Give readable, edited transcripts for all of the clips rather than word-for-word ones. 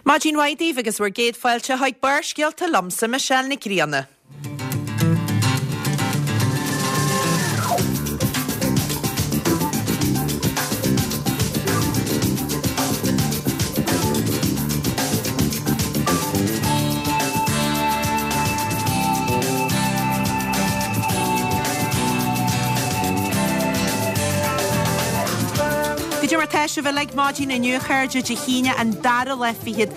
Maidin mhaith daoibh agus bhur gcéad fáilte chuig Barrscéalta liomsa, Michelle Nic Grianna. Goidé mar tá sibh uilig maidin inniu a chairde, Dé hAoine an dara lá fichead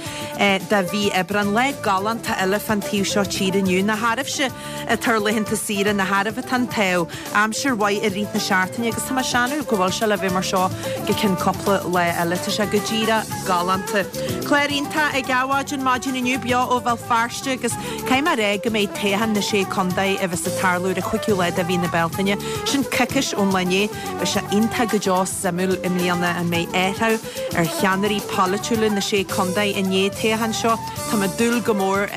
de mhí Aibreán. Lá galánta eile fán taobh seo tíre inniu. Nach oraibhse atá ar laethanta saoire, nach oraibh atá an t-ádh. Aimsir mhaith i rith na seachtaine agus tá mé ag séanadh go bhfuil sé le bheith mar seo go ceann cúpla lá eile. Tá sé go díreach galánta. Clár iontach ag Adhmhaidin maidin inniu beo ó Bhéal Feirste agus caithfidh mé a rá go mbeidh toghchán na Sé Contae a bheas ag tarlú ar an chúigiú lá de mhí na Bealtaine, sin coicís ón lá inné. Beidh sé iontach go deo suimiúil i mbliana an mbeidh athrú ar cheannairí polaitiúla na Sé Contae i ndiaidh an toghcháin seo. Táim ag dúil go mór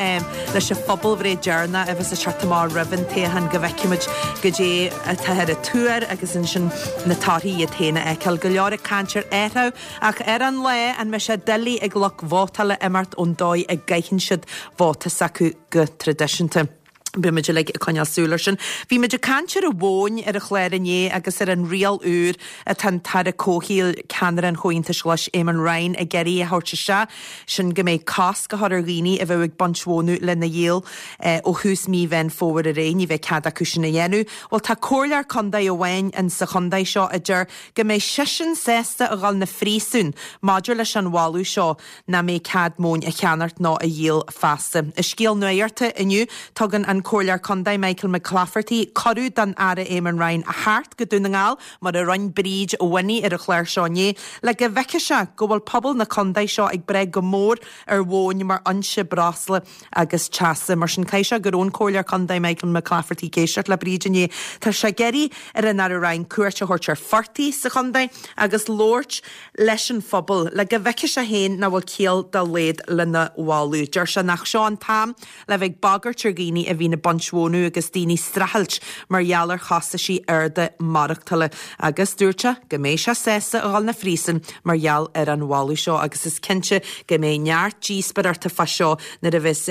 leis an phobalbhreith deireanach a bheas ag teacht amach roimh an toghchán go bhfeicfimid goidé atáthar ag tuar agus ansin na torthaí iad féin a fheiceáil. Go leor ag caint ar athrú ach ar an lá an mbeidh sé doiligh ag lucht vótála imeacht ón dóigh a gcaitheann siad vóta s'acu go traidisiúnta. Beidh muid uilig ag coinneáil súil air sin. Bhí muid ag caint ar an mhóin ar an chlár inné agus ar an riail úr atá an tAire Comhshaoil, ceannaire an Chomhaontais Ghlais, Eamon Ryan, ag iarraidh a thabhairt isteach, sin go mbeidh cosc á chur ar dhaoine a bheadh ag baint mhónadh lena dhíol ó thús mí Mheán Fómhair ar aghaidh. Ní bheidh cead acu sin a dhéanamh. Bhuel, tá comhairleoir contae amháin in sa chontae seo a deir go mbeidh seisean sásta a dhul 'na phríosún maidir leis an mholadh seo. nach mbeidh cead móin a cheannacht nó a dhíol feasta. I scéal nuachta inniu, tugann an Comhairleoir Contae Michael McClafferty cuireadh don Aire Eamon Ryan a theacht go Dún na nGall, mar a rinne Bríd Winnie ar an chlár seo inné, le go bhfeicfidh sé go bhfuil pobal na contae seo ag brath go mór ar mhóin mar fhoinse breosla agus teasa. Mar sin, caithfidh sé go raibh an Comhairleoir Contae Michael McClafferty ag éisteacht le Bríd inné. Tá sé ag iarraidh ar an Aire Ryan cuairt a thabhairt ar phortaigh sa chontae agus labhairt leis an phobal le go bhfeicfidh sé féin nach bhfuil ciall dá laghad lena mholadh. Deir sé nach seo an t-am le bheith ag bagairt ar dhaoine a bhíonn ag baint mhónadh agus daoine ag streachailt mar gheall ar chostaisí arda maireachtála agus dúirt sé go mbeidh sé sásta a dhul 'na phríosún mar gheall ar an mholadh seo agus is cinnte go mbeidh neart díospóireachta fá seo nuair a bheas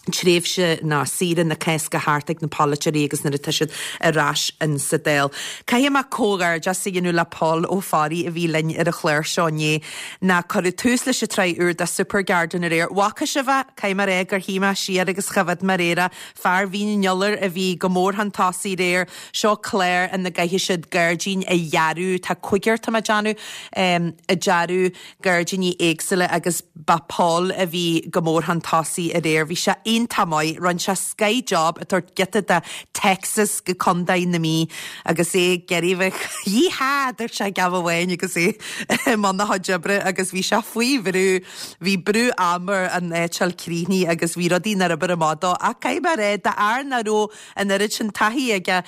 tréimhse ná saoire na Cásca thart ag na polaiteoirí agus nuair atá siad ar ais in sa Dáil. Caithfidh mé comhghairdeas a dhéanamh le Paul Ó Fearraigh a bhí linn ar an chlár seo inné ná cuireadh tús leis an tsraith úr de Super Garden aréir. Bhfaca sibh é? Caithfidh mé a rá gur shuigh mé siar agus choimhéad mé aréir é. Fear Mhín an Iolair a bhí go mór chun tosaigh aréir. Seo clár ina gcaithfidh siad gairdín a dhearadh. Tá cúigear, tá mé ag déanamh, ag dearadh gairdíní éagsúla agus ba Paul a bhí go mór chun tosaigh aréir. Bhí sé iontach maith. Rinne sé scoth job ag tabhairt giota de Texas go Contae na Mí agus é ag iarraidh bheith Yee-haw! dúirt sé ag am amháin agus é i mbun a chuid oibre agus bhí sé faoi bhrú. Bhí brú ama air an áit a fháil críochnaithe agus bhí rudaí nár oibir amach dó ach caithfidh mé a rá d'fhear nach raibh an oiread sin taithí aige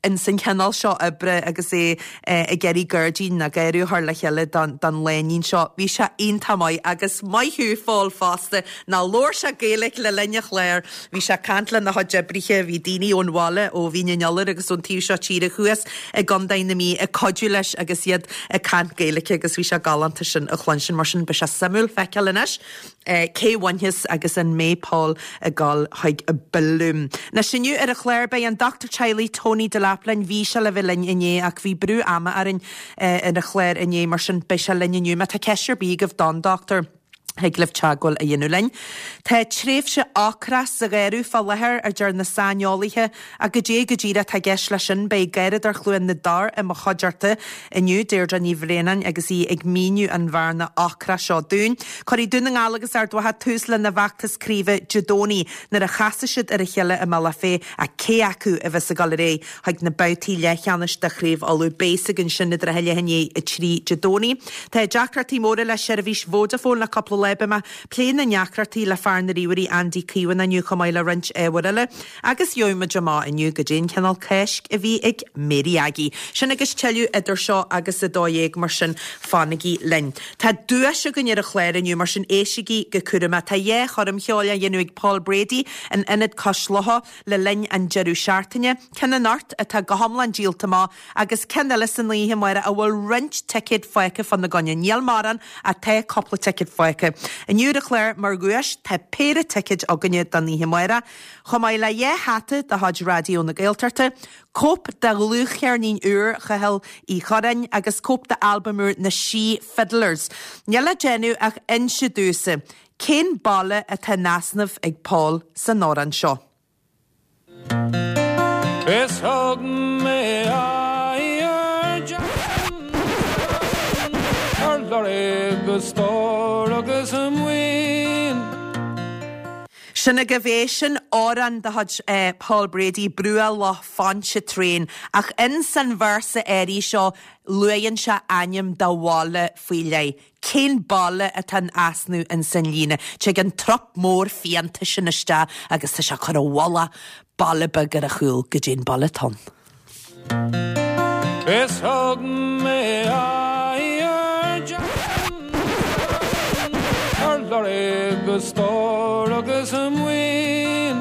ins an chineál seo oibre agus é ag iarraidh gairdín nó garraí a chur le chéile don lánúin seo. Bhí sé iontach maith agus maith thú Phól fosta ná labhair sé Gaeilge le linn an chláir. Bhí sé ag caint lena chuid oibrithe, bhí daoine ón bhaile, ó Mhín an Iolair agus ón taobh seo tíre thuas i gContae na Mí ag cuidiú leis agus iad ag caint Gaeilge agus bhí sé galánta sin a chluinstin. Mar sin beidh sé suimiúil feiceáil anois. Cé bhainfeas agus an mbeidh Paul ag dul chuig Bloom? Anois inniu ar an chlár beidh an dochtúir teaghlaigh Tony Delap linn. Bhí sé le bheith linn inné ach bhí brú ama orainn ar an chlár inné mar sin beidh sé linn inniu. Má tá ceist ar bith agaibh don dochtúir, thig libh teagmháil a dhéanamh linn. Tá tréimhse ocrach sa gharradh fá láthair, a deir na saineolaithe. Ach goidé go díreach atá i gceist leis sin? Beidh Garradóir Chluain na dTor i mo chuideachta inniu, Deirdre Ní Bhraonáin, agus í ag míniú an bhearna ocrach seo dúinn. Cuirfidh Dún na nGall agus Ard Mhacha tús lena bhfeachtas craoibhe Dé Domhnaigh nuair a chasfaidh siad ar a chéile i mBealach Féich ach cé acu a bheas ag dul ar aghaidh chuig na babhtaí leathcheannais de Chraobh Uladh? Beidh a fhios againn sin idir a leath i ndiaidh 3 Dé Domhnaigh. Tá deacrachtaí móra le seirbhís Vodafone le cúpla lá. Beidh mé ag plé na ndeacrachtaí le fear na ríomhairí Andy Caomhánach inniu chomh maith le roinnt ábhair eile. Agus gheobhaidh muid amach inniu goidé an cineál Cáisc a bhí ag Mary Aggie. Sin agus tuilleadh idir seo agus 12, mar sin fanaigí linn. Tá duais againn ar an chlár inniu, mar sin éistigí go cúramach. Tá dhá choirm cheoil á dhéanamh ag Paul Brady in Ionad Cois Locha le linn an deireadh seachtaine. Ceann anocht atá go hiomlán díolta amach agus ceann eile san oíche amárach a bhfuil roinnt ticéad fágtha fána gcoinne. Níl mórán ach tá cúpla ticéad fágtha. Inniu ar an chlár mar dhuais tá péire ticéid againne don oíche amárach, chomh maith le dhá hata de chuid Raidió na Gaeltachta, cóip de dhlúthcheirnín úr Chathail Uí Churráin agus cóip d'albam úr na Sí Fiddlers. Níl le déanamh ach inse domhsa cén baile atá in easnamh ag Paul san amhrán seo. Is thug mé aghaidh ar Jackson ar lorg a stór agus a maoin. Sin agaibh é, sin amhrán de chuid Paul Brady, Bruach Loch Pontchartrain, ach ins an véarsa áirithe seo luaigheann sé ainm de bhaile faoi leith. Cén baile atá in easnamh ins an líne? Tig an trup mór fiánta sin isteach agus tá sé ag cur i bhfolach baile beag ar a chúl, goidé an baile atá ann. Is thug mé aghaidh ar Jackson ar lorg a stór agus a maoin.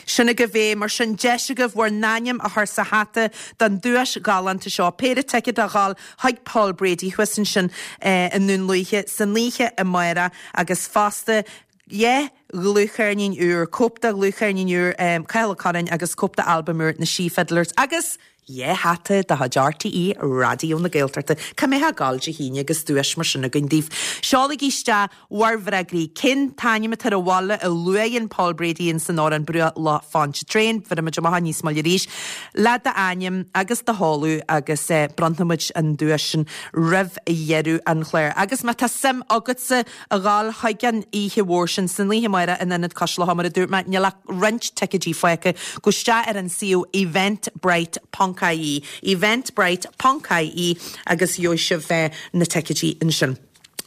Sin agaibh é, mar sin deis agaibh bhur n-ainm a chur sa hata don duais ghalánta seo, péire ticéad a dhul chuig Paul Brady thuas ansin i nDún Lúiche san oíche amárach agus fosta dhá dhlúthcheirnín úr, cóip de dhlúthcheirnín úr Cathal Ó Curráin agus cóip de albam úr na Sí Fiddlers agus dhá hata de chuid RTÉ Raidió na Gaeltachta. Cá mbeifeá ag gabháil Dé hAoine agus duais mar sin againn daoibh? Seolaigí isteach bhur bhfreagraí. Cén t-ainm atá ar an bhaile a luaigheann Paul Brady ins an amhrán Bruach Loch Pontchartrain? Bhéarfaidh muid amach níos moille arís le d'ainm agus do sheoladh agus bronnfaidh muid an duais sin roimh dheireadh an chláir. Agus má tá suim agatsa a ghabháil chuig an oíche mhór sin san oíche amárach in Ionad Cois Locha, mar a dúirt mé, níl ach roinnt ticéidí fágtha. Gabh isteach ar an suíomh eventbrite ponc ie, eventbrite ponc ie agus gheobhaidh sibh na ticéidí ansin.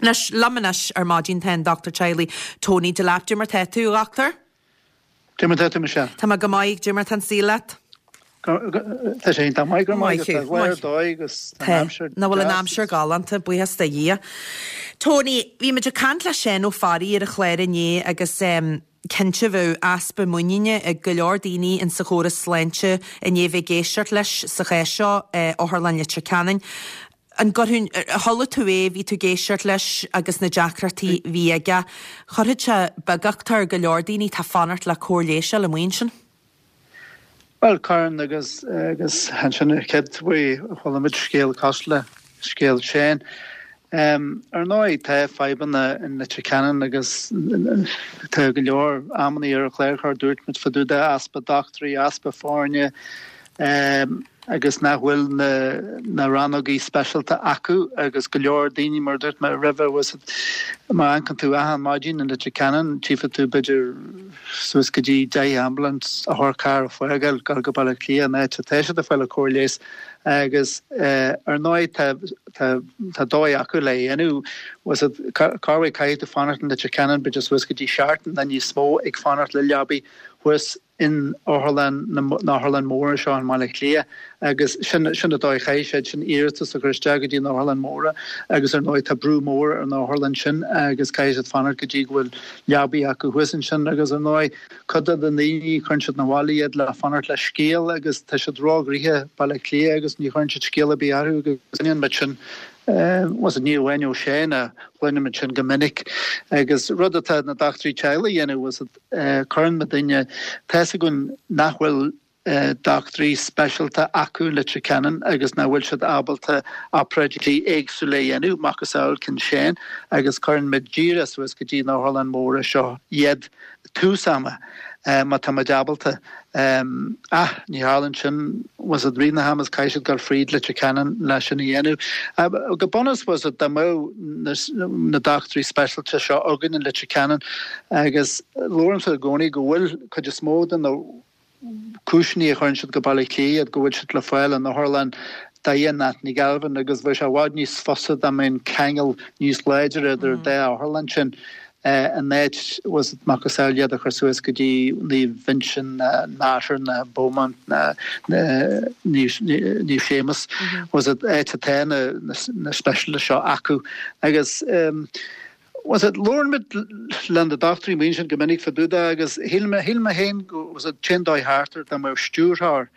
Anois, liom anois ar maidin tá an Dochtúir Teaghlaigh Tony Delap. Dé mar tá tú, a Dhochtúir? Dé mar tá tú, Michelle? Tá mé go maith, dé mar tá an saol leat? Tá sé iontach maith, go raibh maith agat. Tá lá ar dóigh agus tá an aimsir Nach bhfuil an aimsir galánta, buíochas do Dhia. Tony, bhí muid ag caint le Seán Ó Fearraigh ar an chlár inné agus cinnte bheadh easpa muiníne ag go leor daoine insa chóras sláinte i ndiaidh bheith ag éisteacht leis sa chás seo, Otharlann Leitir Ceanainn. An gcuirfinn, chuala tú é, bhí tú ag éisteacht leis agus na deacrachtaí a bhí aige. Chuirfeadh sé beagucht ar go leor daoine atá ag fanacht le cóir leighis a fháil amuigh ansin. Bhuel, cuireann agus agus ansin ar chéad uair a chuala muid scéal cosúil le scéal Shane. Ar ndóigh tá fadhbanna in Leitir Ceanainn agus tá go leor amannaí ar an chlár seo dúirt muid fá dtaobh de easpa dochtúirí, easpa foirne, agus nach bhfuil na rannógaí speisialta acu agus go leor daoine, mar a dúirt mé roimhe, má amharcann tú achan maidin in Leitir Ceanainn, tchífidh tú b'fhéidir suas go dtí 10 ambulance, otharcharr ag fágáil, dul go Baile Átha Cliath, an áit atá siad ag fáil an cóir leighis agus ar ndóigh tá tá dóigh acu le dhéanamh, corruair caithfidh tú fanacht in Leitir Ceanainn b'fhéidir suas go dtí seachtain nó níos mó ag fanacht le leabaí thuas in otharlann na n-otharlann móra seo i mBaile Átha Cliath agus sin sin an dóigh chaithfidh siad sin iarratas a chur isteach go dtí na otharlann móra agus ar ndóigh tá brú mór ar na otharlann sin agus caithfidh siad fanacht go dtí go bhfuil leabaí acu thuas ansin agus ar ndóigh cuid de na daoine cuireann siad 'na bhaile iad le fanacht le scéal agus tá siad róghnoitheach Baile Átha Cliath agus ní chuireann siad scéal ar bith orthu agus cluineann muid sin bhuel ní amháin ó Shane ach cluineann muid sin go minic agus rud atá na dochtúirí teaghlaigh a dhéanamh bhuel Cuireann muidinne, tá's againn nach bhfuil dochtúirí speisialta acu in Leitir Ceanainn agus nach bhfuil siad ábalta obráidí éagsúla a dhéanamh, macasamhail cinn Shane, agus cuireann muid díreach suas go dtí na otharlann móra seo iad tús ama má tá muid ábalta. Ach ní tharlaíonn sin, bhfuil 's a'd, rith na hama is caithfidh siad dul fríd Leitir Ceanainn le sin a dhéanamh. Go bunúsach, bhfuil 's a'd, dá mbeadh na dochtúirí speisialta seo againn in Leitir Ceanainn agus labhraímse i gcónaí go bhfuil cuid is mó de na cúiseanna a chuireann siad go Baile Átha Cliath iad go bhfuil siad le fáil in otharlann Daya Anthony Galvin agus bheadh sé i bhfad níos fusa dá mbeadh an ceangal níos láidre idir an dá otharlann sin. in áit bhfuil 's a'd macasamhail iad a chur suas go dtí Naomh Uinseann ná Mater ná Beaumont ná Naomh Séamus bhfuil 's a'd áit atá na speisialta seo acu agus bhfuil 's a'd labhrann muid le na dochtúirí amuigh ansin go minic fá dtaobh de agus shíl mé shíl mé féin go bhfuil 's a'd an t-aon dóigh thart air dá mbeadh stiúrthóir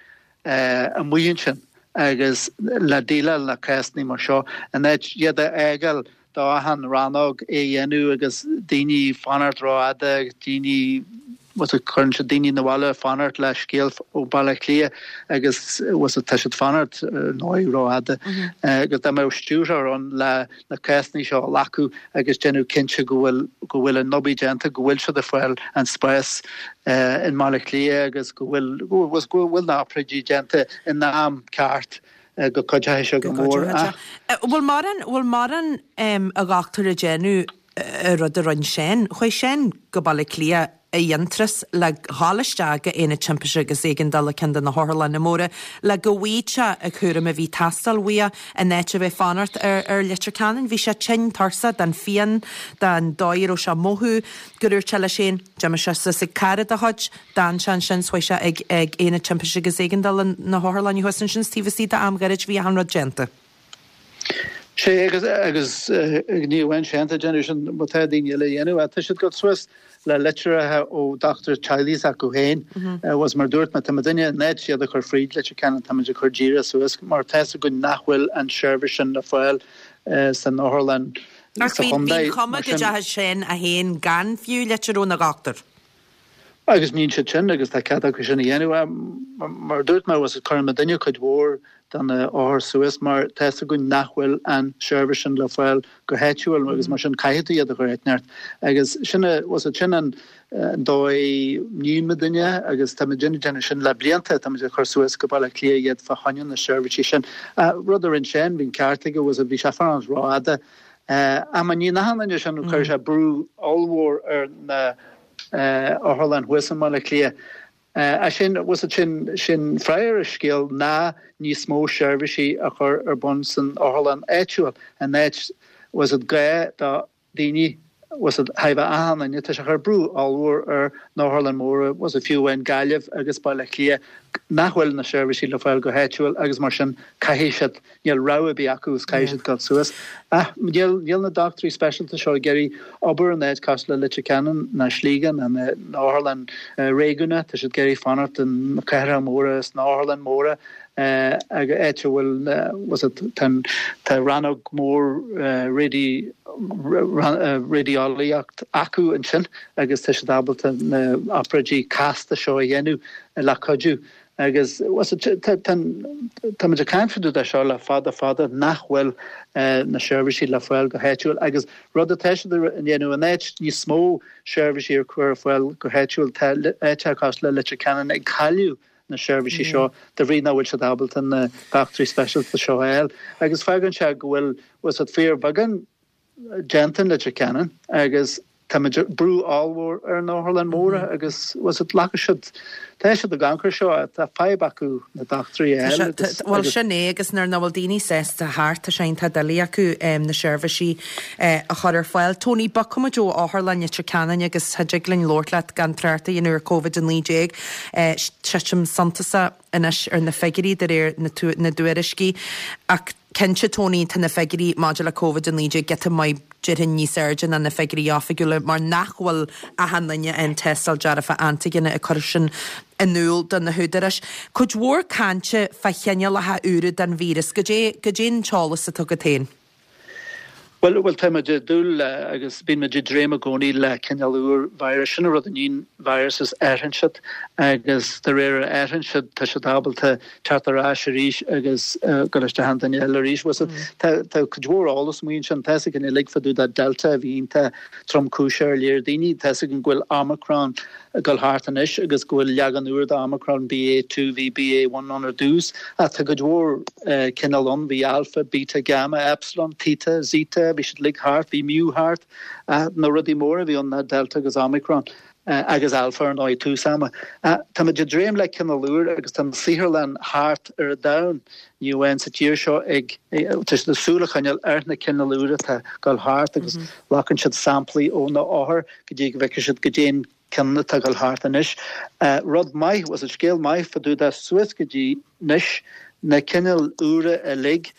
amuigh ansin agus le déileáil le cásanna mar seo in áit iad a fhágáil. do achan rannóg é a dhéanamh agus daoine fanacht rófhada agus daoine bhfuil a fhios agat cuireann siad daoine 'na bhaile fanacht le scéal ó Baile Átha Cliath agus bhfuil a fhios agat tá siad fanacht ar ndóigh rófhada agus dá mbeadh stiúrthóir ann le na cásanna seo a ghlacadh agus déanamh cinnte go bhfuil go bhfuil an obair déanta, go bhfuil siad ag fáil an spás i mBaile Átha Cliath agus go bhfuil go bhfuil na hobráidí déanta in am ceart go gcuideoidh sé go mór. Bhfuil mórán, bhfuil mórán a dhochtúir ag déanamh an rud a rinne Shane? Chuaigh Shane go Baile Átha Cliath i bhFionntrás le dhul isteach go Aonad Timpiste agus Éigeandála ceann de na hotharlanna móra le go bhfaigheadh sé an cúram a bhí ag teastáil uaidh in áit a bheith fanacht ar ar Leitir Ceanainn. Bhí sé tinn tuirseach den phian, den dóigh a raibh sé ag mothú, go ndúirt sé leis féin, d'imigh sé suas ag cara dá chuid, D'fhan sé ansin 's chuaigh sé ag ag Aonad Timpiste agus Éigeandála na hotharlainne thuas ansin 's taobh istigh d'am ghairid bhí achan rud déanta. Sé agus agus ní amháin Shane atá ag déanamh sin má tá daoine eile a dhéanamh tá siad ag dul suas le litreacha ó dochtúir teaghlaigh s'acu féin agus mar dúirt mé tá muidinne in áit iad a chur fríd Leitir Ceanainn tá muid ag cur díreach suas mar tá 'fhios againn nach bhfuil an seirbhís sin le fáil san otharlann Ach sa bhí bhí chontae an chuma mar go sin. dteachaigh Shane é féin gan fiú litir óna dhochtúir. Agus níonn siad sin agus tá cead acu sin a dhéanamh. Mar a dúirt mé, cuireann muidinne cuid mhór de na hothair suas mar tá 'fhios againn nach bhfuil an seirbhís sin le fáil go háitiúil agus mar sin caithfidh tú iad a chur áit inteacht. Agus sin a, sin an dóigh níonn muidinne agus tá muidinne ag déanamh sin le blianta, tá muid ag cur suas go Baile Átha Cliath iad fá choinne na seirbhísí sin. Rud a rinne Shane, bhí an ceart aige, bhí sé fanacht rófhada. Ach má níonn achan duine sin, cuirfidh sé brú ollmhór ar na otharlann thuas i mBaile Átha Cliath. Ach sin, sin, sin freagra ar an scéal ná níos mó seirbhísí a chur ar bun san otharlann áitiúil, in áit, bhfuil 'fhios agat, gá do dhaoine, bhfuil 'fhios agat, chóir a bheith achan duine, tá sé ag cur brú ollmhór ar na hotharlann móra, bhfuil 'fhios agat, fiú amháin Gaillimh agus Baile Átha Cliath, nach bhfuil na seirbhísí le fáil go háitiúil agus mar sin caithfidh siad Níl rogha ar bith acu is caithfidh siad dul suas. Ach níl, níl na dochtúirí speisialta seo ag iarraidh obair in áit cosúil le Leitir Ceanainn ná Sligeach ná na otharlann réigiúnach. Tá siad ag iarraidh fanacht in na cathracha móra is na otharlann móra ag áit a bhfuil, bhfuil 'fhios agat, tá an, tá rannóg mór radi, raidiolaíocht acu ansin agus tá siad ábalta na obráidí casta seo a dhéanamh le cuidiú. Agus tá muid ag caint fá dtaobh de seo le fada fada nach bhfuil na seirbhísí le fáil go háitiúil agus rud atá siad a dhéanamh in áit níos mó seirbhísí a chur ar fáil go háitiúil tá áiteacha cosúil le Leitir Ceanainn ag cailleadh na seirbhísí seo de bhrí nach bhfuil siad ábalta na dochtúirí speisialta seo a fháil agus fágann sé go bhfuil bhfuil 'fhios agat fíorbheagán déanta in Leitir Ceanainn agus tá muid brú ollmhór ar na otharlann móra agus bhfuil 'fhios agat glacann siad tá siad ag amharc air seo tá fadhb acu na dochtúirí a fháil agus Bhuel sin é agus nuair nach bhfuil daoine sásta theacht tá sé iontach doiligh acu na seirbhísí a chur ar fáil. Tony, bogfaidh muid ó Otharlann Leitir Ceanainn agus cha dtig linn labhairt leat gan trácht a dhéanamh ar Covid-19. Titim suntasach anois ar na figiúirí de réir na dtuairiscí ach cinnte Tony tá na figiúirí maidir le Covid-19 giota maith déarfainn níos airde ná na figiúirí oifigiúla mar nach bhfuil achan duine a fhaigheann tástáil dearfach antaigine ag cur sin in iúl do na húdaráis. Cuid mhór cainte fá chineálacha úra den víreas. Goidé, goidé an t-eolas atá agat féin? Bhuel, bhuel, tá muid ag dúil le, agus bíonn muid ag dréim i gcónaí le cineál úr virus. Sin an rud a níonn viruses, athraíonn siad agus de réir a athraíonn siad, tá siad ábalta teacht ar ais arís agus dul isteach i nduine eile arís. Bhuel, tá, tá cuid mhór eolas amuigh ansin. Tá 'fhios againn uilig fá dtaobh de Delta a bhí iontach tromchúiseach ar léir daoine. Tá 'fhios againn go bhfuil Omicron ag dul thart anois agus go bhfuil leagan úr de Omicron, BA2, bhí BA1 ann ar dtús, ach tá cuid mhór cineál ann, bhí Alpha, Beta, Gamma, Epsilon, Theta, Zeta, bhí siad uilig thart, bhí Mu thart, ach na rudaí móra a bhí ann ná Delta agus Omicron agus Alpha ar ndóigh tús ama. Táimid ag dréim le cineál úr agus tá na saotharlann thart ar an domhan, ní amháin sa tír seo, ag tá siad ag súil a choinneáil ar na cineál úr atá ag dul thart agus glacann siad samplaí ó na othair go dtí go bhfeicfidh siad goidé an ceann atá ag dul thart anois. Rud maith, bhfuil 'fhios agat, scéal maith fá dtaobh de suas go dtí anois, na cineáil úra uilig,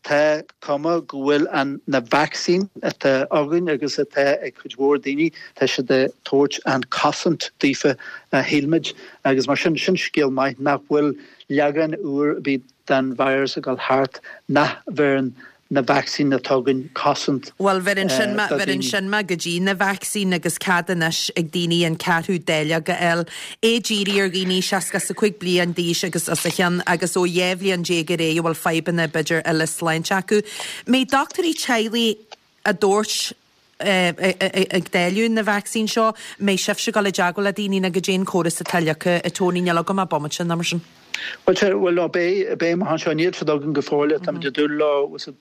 tá cuma go bhfuil an, na vacsaín atá againn agus atá ag cuid mhór daoine, tá siad ag tabhairt an cosaint daofa a shíl muid agus mar sin, sin scéal maith nach bhfuil leagan úr ar bith den virus ag dul thart nach bheireann. Na vacsaín atá againn cosaint Bhuel, bheireann sin mé, do bheireann daoine. sin mé go dtí na vacsaín agus cead anois ag daoine an ceathrú dáileog a fháil. É dírithe ar dhaoine 65 bliain d'aois agus os a chionn agus ó 12 bhliain ar aghaidh a bhfuil fadhbanna b'fhéidir eile sláinte acu. Mbeidh dochtúirí teaghlaigh á dtabhairt ag dáileadh na vacsaín seo, mbeidh sibhse ag dul i dteagmháil le daoine nó goidé an córas atá leagtha, a Tony, níl agam ach bomaite nó mar sin. Bhuel, sea, bhuel, nó beidh, beidh amach anseo, níl siad againn go fóill, táimid ag dúil leo sa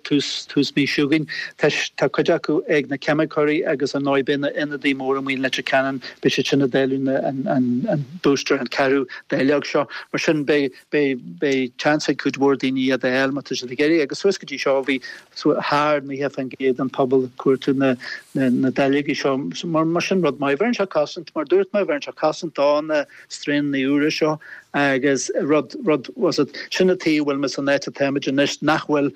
tús, tús mí seo chugainn. Tá, tá cuid acu ag na ceimiceoirí agus ar ndóigh beidh na ionadaí móra amuigh in Leitir Ceanainn, beidh siad sin ag dáileadh na, an, an, an booster, an ceathrú dáileog seo. Mar sin beidh, beidh, beidh chance ag cuid mhór daoine iad a fháil má tá siad ag iarraidh agus suas go dtí seo bhí thar 90% den phobal ag cuartú na dáileogaí seo. Mar sin rud maith. Bheireann sé cosaint, mar dúirt mé, bheireann sé cosaint do na straonanna úra seo agus rud, rud, was it, sin an tuige a bhfuil muid san áit atáimid anois nach bhfuil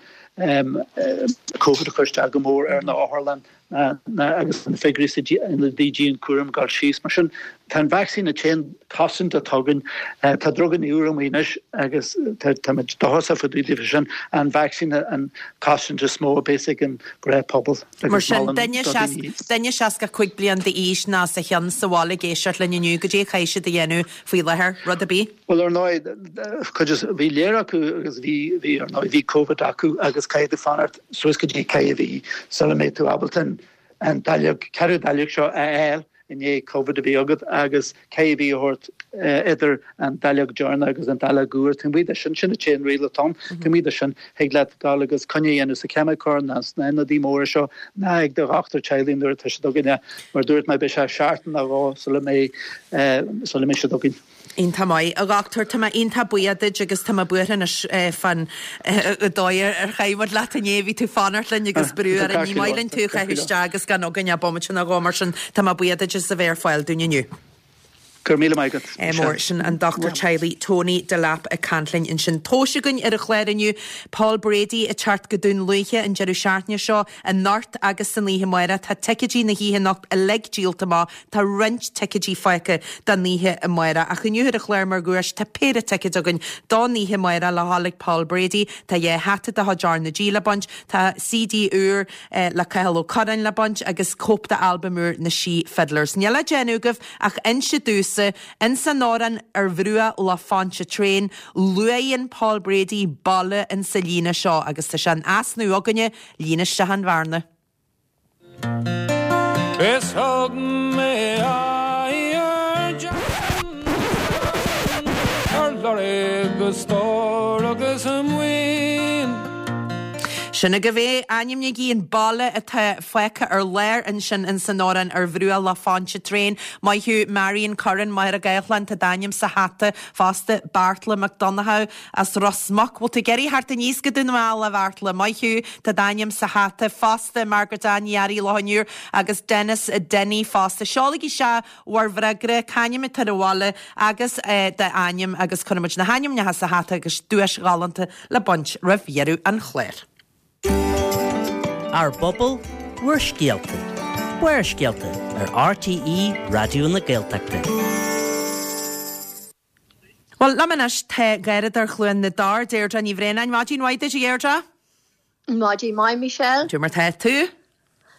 Covid ag cur isteach go mór ar na otharlann. agus na figiúirí sna hionaid dianchúraim ag dul síos. Mar sin, tá an vacsaín an t-aon chosaint atá againn. Tá druganna úra amuigh anois agus táimid dóchasach fá dtaobh daofa sin. An vacsaín an chosaint is mó a bheas ag an ghnáthphobal Mar sin, duine duine 65 bliain d'aois nó os a chionn sa bhaile ag éisteacht linn inniu, goidé a chaithfidh siad a dhéanamh faoi láthair? Rud ar bith? Bhuel, ar ndóigh, cuid is, bhí léir acu agus bhí, bhí, ar ndóigh, bhí Covid acu agus caithfidh tú fanacht suas go dtí ceithre mhí sula mbeidh tú ábalta an dáileog, ceathrú dáileog seo a fháil i ndiaidh Covid a bheith agat agus ceithre mhí a thabhairt idir an dáileog deireanach agus an dáileog úr. Taobh amuigh de sin, sin an t-aon riail atá ann, taobh amuigh de sin, thig leat dul agus coinne a dhéanamh sa cheimiceoir ná sna hionadaí móra seo ná ag do dhochtúir teaghlaigh nuair atá siad againne. Mar a dúirt mé, beidh sé seachtain nó dhó sula mbeidh, sula mbeidh siad againn. Iontach maith, a dhochtúir. Tá mé iontach buíoch duit agus tá mé buartha anois fán dóigh ar chaith muid leat inné. Bhí tú fanacht linn agus brú orainn. Ní maith linn tú a chaitheamh isteach agus gan againn ach bomaite nó dhó mar sin tá mé buíoch duit as a bheith ar fáil dúinn inniu. Go raibh míle maith agat. Mór. Sin an dochtúir teaghlaigh Tony Delap ag caint linn ansin. Tomhais againn ar an chlár inniu. Paul Brady ag teacht go Dún Lúiche an deireadh seachtaine seo, anocht agus san oíche amárach. Tá ticéidí na hoíche anocht uilig díolta amach. Tá roinnt ticéidí fágtha don oíche amárach, ach inniu ar an chlár mar dhuais tá péire ticéad againn don oíche amárach le dhul ag Paul Brady. Tá dhá hata de chuid R na G le baint, tá CD úr le Cathal Ó Curráin le baint agus cóip d'albam úr na Sí Fiddlers. Níl le déanamh agaibh ach inse domhsa, ins an amhrán Ar Bhruach Loch Pontchartrain, luaigheann Paul Brady baile insa líne seo agus tá sé in easnamh againne, líon isteach an bhearna. Is thug mé aghaidh ar Jackson ar lorg a stór agus a maoin. Sin agaibh é, ainmnígí an baile atá fágtha ar lár ansin ins an amhrán Ar Bhruach Loch Pontchartrain. Maith thú Marion Curran, Machaire Gathlán, tá d'ainm sa hata fosta, Beartla Mac Donnchadha. As Ros Muc. Bhfuil tú ag iarraidh theacht aníos go Dún na nGall, a Bheartla? Maith thú, tá d'ainm sa hata fosta, Margaret Ann Ní Fhearraigh, Loch an Iúir, agus Denis Denny fosta. Seolaigí isteach bhur bhfreagra, c'ainm atá ar an bhaile agus d'ainm agus cuirfidh muid na hainmneacha sa hata agus duais ghalánta le baint roimh dheireadh an chláir. Ár bpobal, bhur scéalta. Barrscéalta ar RTÉ Raidió na Gaeltachta. Bhuel, liom anois tá Garradóir Chluain na dTor, Deirdre Ní Bhraonáin. Maidin mhaith duit, a Dheirdre. Maidin mhaith, Michelle. Cad é mar tá tú?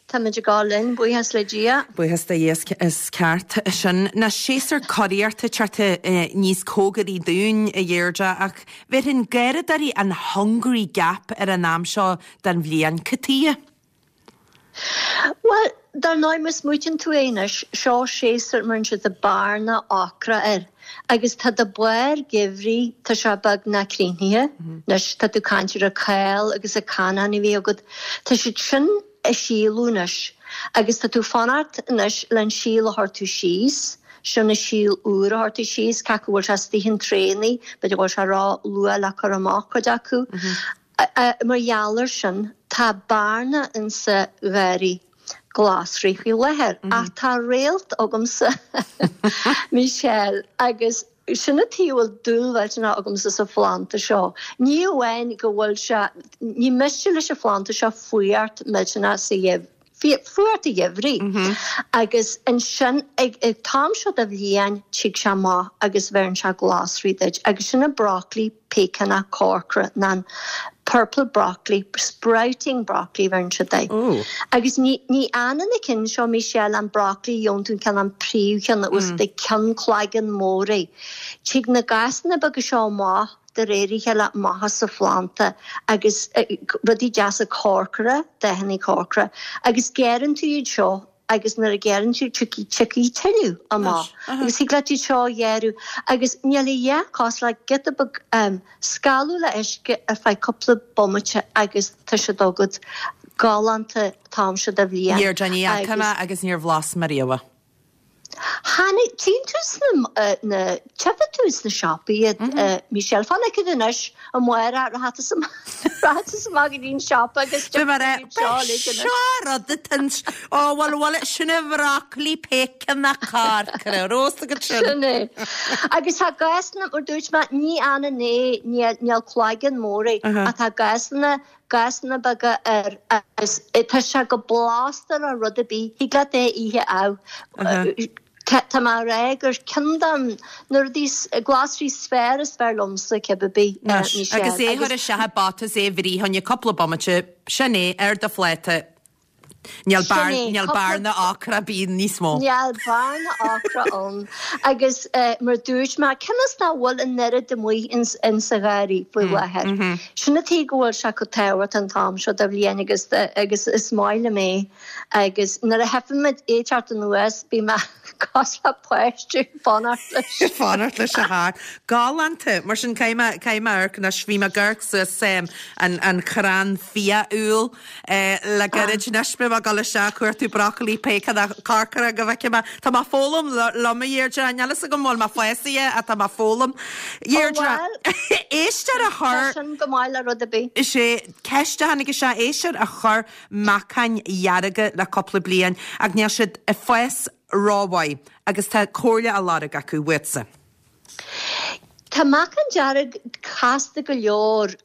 Táimid ag gabháil linn, buíochas le Dia. Buíochas do Dhia, is ceart sin. Ná séasúr curaíochta ag teacht níos cóngaraí dúinn, a Dheirdre, ach bhéarfainn garradóirí an Hungry Gap ar an am seo den bhliain. Cad tuighe? Bhuel, dar ndóigh, má smaoitíonn tú é anois, seo séasúr a mbeireann siad bearna ocra air agus tá do bharr geimhridh, tá sé beagnach críochnaithe. Anois, tá tú ag caint ar an cál agus an canán a bhí agat, tá siad sin ag síolú anois agus tá tú fanacht anois le an síol a chuir tú síos, sin an síol úr a chuir tú síos, cé acu bhfuil sé istigh in traenaí, b'fhéidir go bhfuil sé ró-luath le cur amach cuid acu. Mar gheall air sin, tá bearna insa gharraí glasraí faoi láthair. Ach tá réalt agamsa, Michelle, agus sin an tuige a bhfuil dúil mhillteanach agamsa sa phlanda seo. Ní amháin go bhfuil sé, ní miste leis an phlanda seo fuacht millteanach sa gheimhreadh, fuacht an gheimhridh agus ansin ag an t-am seo de bhliain tig sé amach agus bheireann sé glasraí duit agus sin an broccoli péiceannach corcra nó an. Purple broccoli, sprouting broccoli bheireann siad air. Agus ní ní fhanann na cinn seo, Michelle, an broccoli gheobhann tú an ceann an príomhcheann agus de ceann cloigeann mór é. Tig na gasanna beaga seo amach de réir a chéile amach as an phlanda agus rudaí deasa corcra, dathanna corcra, agus gearrann tú iad seo agus nuair a ghearrann tú tiocfaidh tiocfaidh tuilleadh amach agus thig leat iad seo a ghearradh agus níl a dhath cosúil le giota beag scalladh le uisce ar feadh cúpla bomaite agus tá siad agat galánta an t-am seo de bhliain. Deirdre, ní fhaca mé agus níor bhlas mé riamh. Tháinig, tchíonn tú sna, na, tchífidh tú sna siopaí iad, Michelle, fan acu anois, amárach, rachaidh tusa amach, rachaidh tusa amach go dtí an siopa agus Bhí mé rá, seo seo rud atá ins, ó bhuel, bhuel, sin an bhrocailí péiceannach corcra, rós agat sin. Sin é. Agus tá gásanna, mar dúirt mé, ní fhanann é, níl, níl cloigeann mór é, ach tá gásanna Gasanna beaga air agus tá sé go blasta le rud ar bith, thig leat é a ithe amh. Tá mé a rá gur ceann de na rudaí, glasraí is fearr is fearr liomsa, cibé ar bith, Michelle. Agus é a chur isteach i bpota is é a bhruith fá choinne cúpla bomaite, sin é, ar do phláta. Níl Sin é, níl cúpla. bearna ocra ar bith níos mó. Níl bearna ocra ann. Agus mar dúirt mé, cionn is nach bhfuil an oiread amuigh ins sa gharraí faoi láthair. Sin an tuige go bhfuil sé chomh tábhachtach an t-am seo de bhliain agus agus is maith liom é. Agus nuair a tchífimid é ag teacht anuas, beidh mé cosúil le páiste ag fanacht leis. Ag fanacht leis a theacht. Galánta. Mar sin caithfidh mé caithfidh mé amharc anois. Bhí mé ag amharc suas an an chrann fia-úll. Le gairid anois beidh mé ag dul isteach ag cuartú brocailí péiceannach corcra go bhfeicfidh mé. Tá mé ag foghlaim liom a Dheirdre, níl fhios agam an bhfuil mé fásaithe ach tá mé ag foghlaim. Dheirdre, éisteoir a chuir. Tá sin go maith le rud ar bith. Is é ceist a tháinig isteach, éisteoir a chuir meacáin dhearga le cúpla bliain ach níl siad ag fás rómhaith agus tá comhairle á lorg acu uatsa. Tá meacan dearg casta go leor.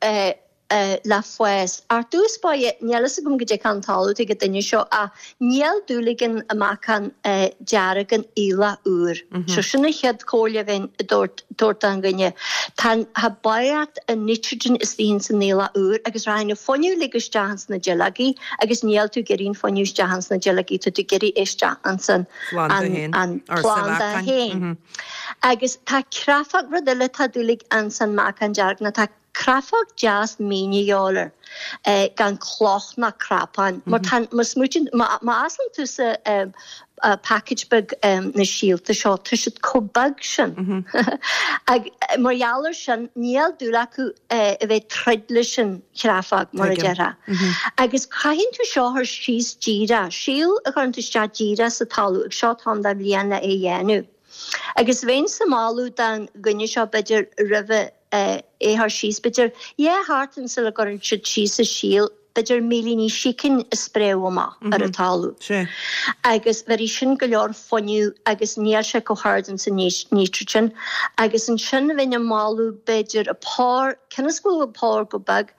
le fás. Ar dtús báire, níl fhios agam goidé cén talamh atá ag an duine seo ach níl dúil ag an meacan dearg in aoileach úr. So sin an chéad chomhairle a bheinn ag tabhairt don dhuine. Tá tá barraíocht an nitrogen istigh ins an aoileach úr agus rachaidh an fuinneamh uilig isteach ins na duilleogaí agus níl tú ag iarraidh an fuinneamh isteach ins na duilleogaí, tá tú ag iarraidh é isteach ins an an planda féin. Agus tá creafóg, rud eile atá dúil ag ins an meacan dearg ná tá Creafóg deas mín a dhíobháil air, gan cloch ná crapán, mar tá, má smaoitíonn, má osclaíonn tusa package beag na síolta seo, tá siad chomh beag sin. Ag, mar gheall ar sin, níl dúil acu a bheith ag troid leis an chreafóg, mar a déarfá. Agus caitheann tú seo a chur síos díreach, síol a chuireann tú isteach díreach sa talamh, ag seo t-am de bhliain le é a dhéanamh. Agus bheinnse ag moladh don dhuine seo, b'fhéidir, roimhe, é a chur síos, b'fhéidir, dhá sheachtain sula gcuireann siad síos an síol, b'fhéidir millíní sícin a spréadh amach ar an talamh. Agus bhéarfaidh sin go leor fuinneamh agus níl sé chomh hard ins an nítrigin. Agus ansin bheinn ag moladh, b'fhéidir, an pár, cionn is go bhfuil an pár go beag,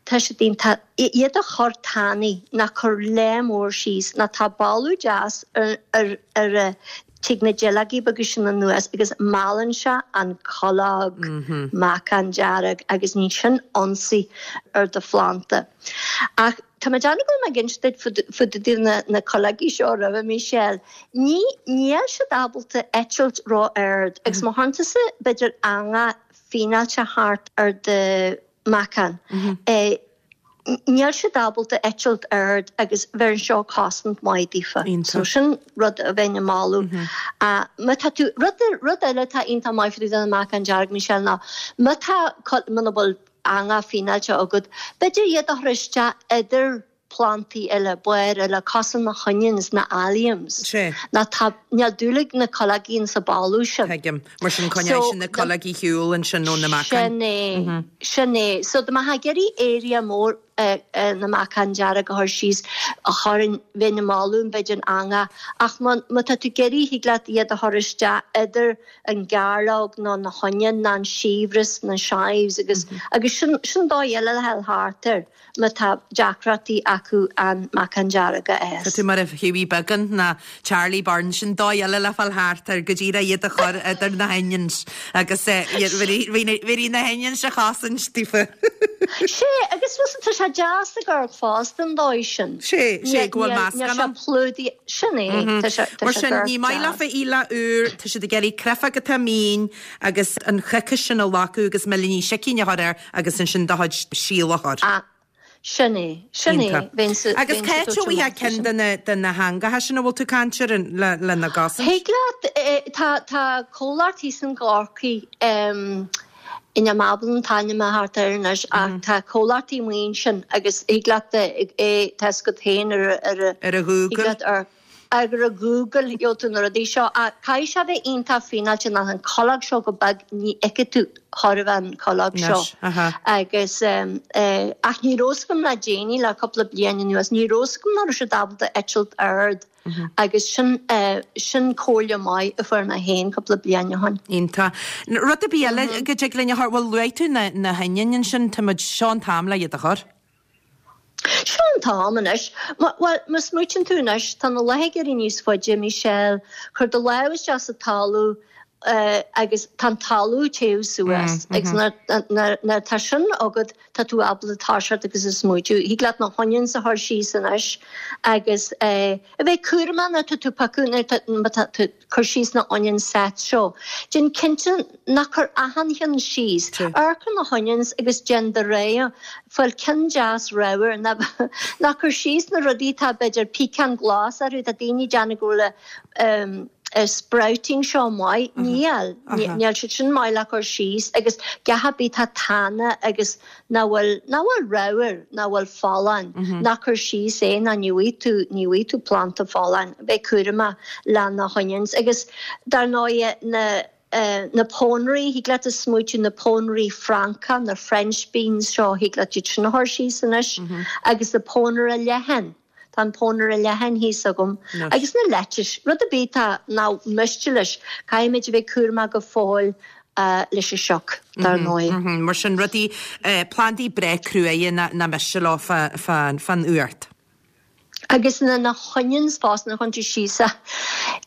tá siad iontach, iad a chur tanaí, ná cur lear mór síos, nó tá boladh deas ar, ar, ar a, Tig na duilleogaí beaga sin anuas agus meallann sé an cuileog, meacan dearg, agus ní sin ionsaí ar do phlanda. Ach tá mé ag déanamh go bhfuil mé ag inse duit fá dtaobh na na cuileogaí seo roimhe, Michelle. Ní, níl siad ábalta eitilt ró-ard agus má chuireann tusa b'fhéidir eangach fíneáilte thart ar do mheacan, Níl siad ábalta eitilt ard agus bheireann seo cosaint maith daofa. So sin rud a bheinn ag moladh. Má tá tú, rud, rud eile atá iontach maith fá dtaobh den meacan dearg, Michelle, ná má tá, muna bhfuil eangach fíneáilte agat, b'fhéidir iad a chur isteach idir plantaí eile, bairr eile, cosúil na honions, na alliums. Nó tá, níl dúil ag na cuileogaí insa boladh sin. Tuigim. Mar sin coinneoidh sin na cuileogaí ar shiúl ansin ó na meacáin. Sin é. Sin é. So dá mbeifeá ag iarraidh area mór. Na meacain dearg a chur síos, chuirfinn, bheinn ag moladh b'fhéidir an eangach, ach má tá tú ag iarraidh, thig leat iad a chur isteach idir an gairleog nó na honion nó an siabhras, na chives agus agus sin sin dóigh eile le dhul thart air má tá deacrachtaí acu an meacan dearg a fhás. Tá tú mar a Hughie Beagán ná Charlie Byrne, sin dóigh eile le fáil thart air, go díreach iad a chur idir na honions agus bhí na honions a chosaint daofa. Sé, agus bhfuil tá sé deas ag amharc fosta an dóigh sin. Sé, sé, go bhfuil meascán ann. Níl sé plúdaithe, sin é, tá sé, tá Mar sé sin, ní maith leofa aoileach úr, tá siad ag iarraidh créafóg atá mín agus an choicis sin a ghlacadh agus millíní sicín a chur air agus ansin do chuid síl a chur. Ah, sin é, sin é, Iontach. bheinnse, Agus bheinnse cá háit a dóite bhfaighfeá amach ceann sin. de na, de na heangacha sin a bhfuil tú ag caint air le, lena gcosaint? Thig leat, eh, tá, tá comhlacht thíos in gCorcaigh, em, Níl mé ábalta an t-ainm a thabhairt air anois ach tá comhlachtaí amuigh ansin agus thig leat é tá 'fhios agat féin ar a ar a Ar a thig Google. leat ar ar a Google gheobhaidh tú na rudaí seo ach caithfidh sé bheith iontach fíneáilte nach an cuileog seo chomh beag ní fheicfidh tú chor a bheith an cuileog seo Anois, aha. agus ach ní raibh 'fhios agam le déanaí le cúpla bliain anuas ní raibh 'fhios agam nach raibh siad ábalta eitilt ard. Agus sin, sin comhairle maith a fuair mé féin cúpla bliain ó shin. Iontach. Rud ar bith eile go dtig linn a chur, bhuel luaigh tú na, na hoinniúin ansin, tá muid, seo an t-am le iad a chur. Seo an t-am anois. Bhuel, má smaoitíonn tú anois, tá na laetha ag éirí níos faide, Michelle, cuir do lámh isteach sa talamh agus tá an talamh ag téamh suas agus nuair atá sin agat, Tá tú ábalta toiseacht agus a smaoitiú. Thig leat na honions a chur síos anois agus a bheith cúramach nuair atá tú ag piocadh, nuair atá, má tá tú ag cur síos na onion sets seo. Déan cinnte ná cuir achan cheann síos. Amharc ar na honions agus déan do rogha. Fáil ceann deas ramhar. Ná, ná cuir síos na rudaí atá b'fhéidir píceán glas orthu. Tá daoine ag déanamh go bhfuil a, sprouting seo maith. Níl. Níl siad sin maith le cur síos agus gach ar bith atá tana agus nach bhfuil, nach bhfuil ramhar, nach bhfuil folláin, ná cuir síos é ná ní bhfaighidh tú, ní bhfaighidh tú planda folláin. Bheith cúramach le na honions agus dar ndóigh na, na pónairí, thig leat a smaoitiú na pónairí Francacha, na French beans seo, thig leat iad sin a chur síos anois agus na pónaire leathan. Tá an pónaire leathan thíos agam agus na lettuce, rud ar bith atá nach miste leis. Caithfimid a bheith cúramach go fóill leis an sioc, dar ndóigh. Mar sin, rudaí, plandaí breá cruaidhe nach miste leo fán fhuacht. Agus na na honions fosta nuair a chuireann tú síos é,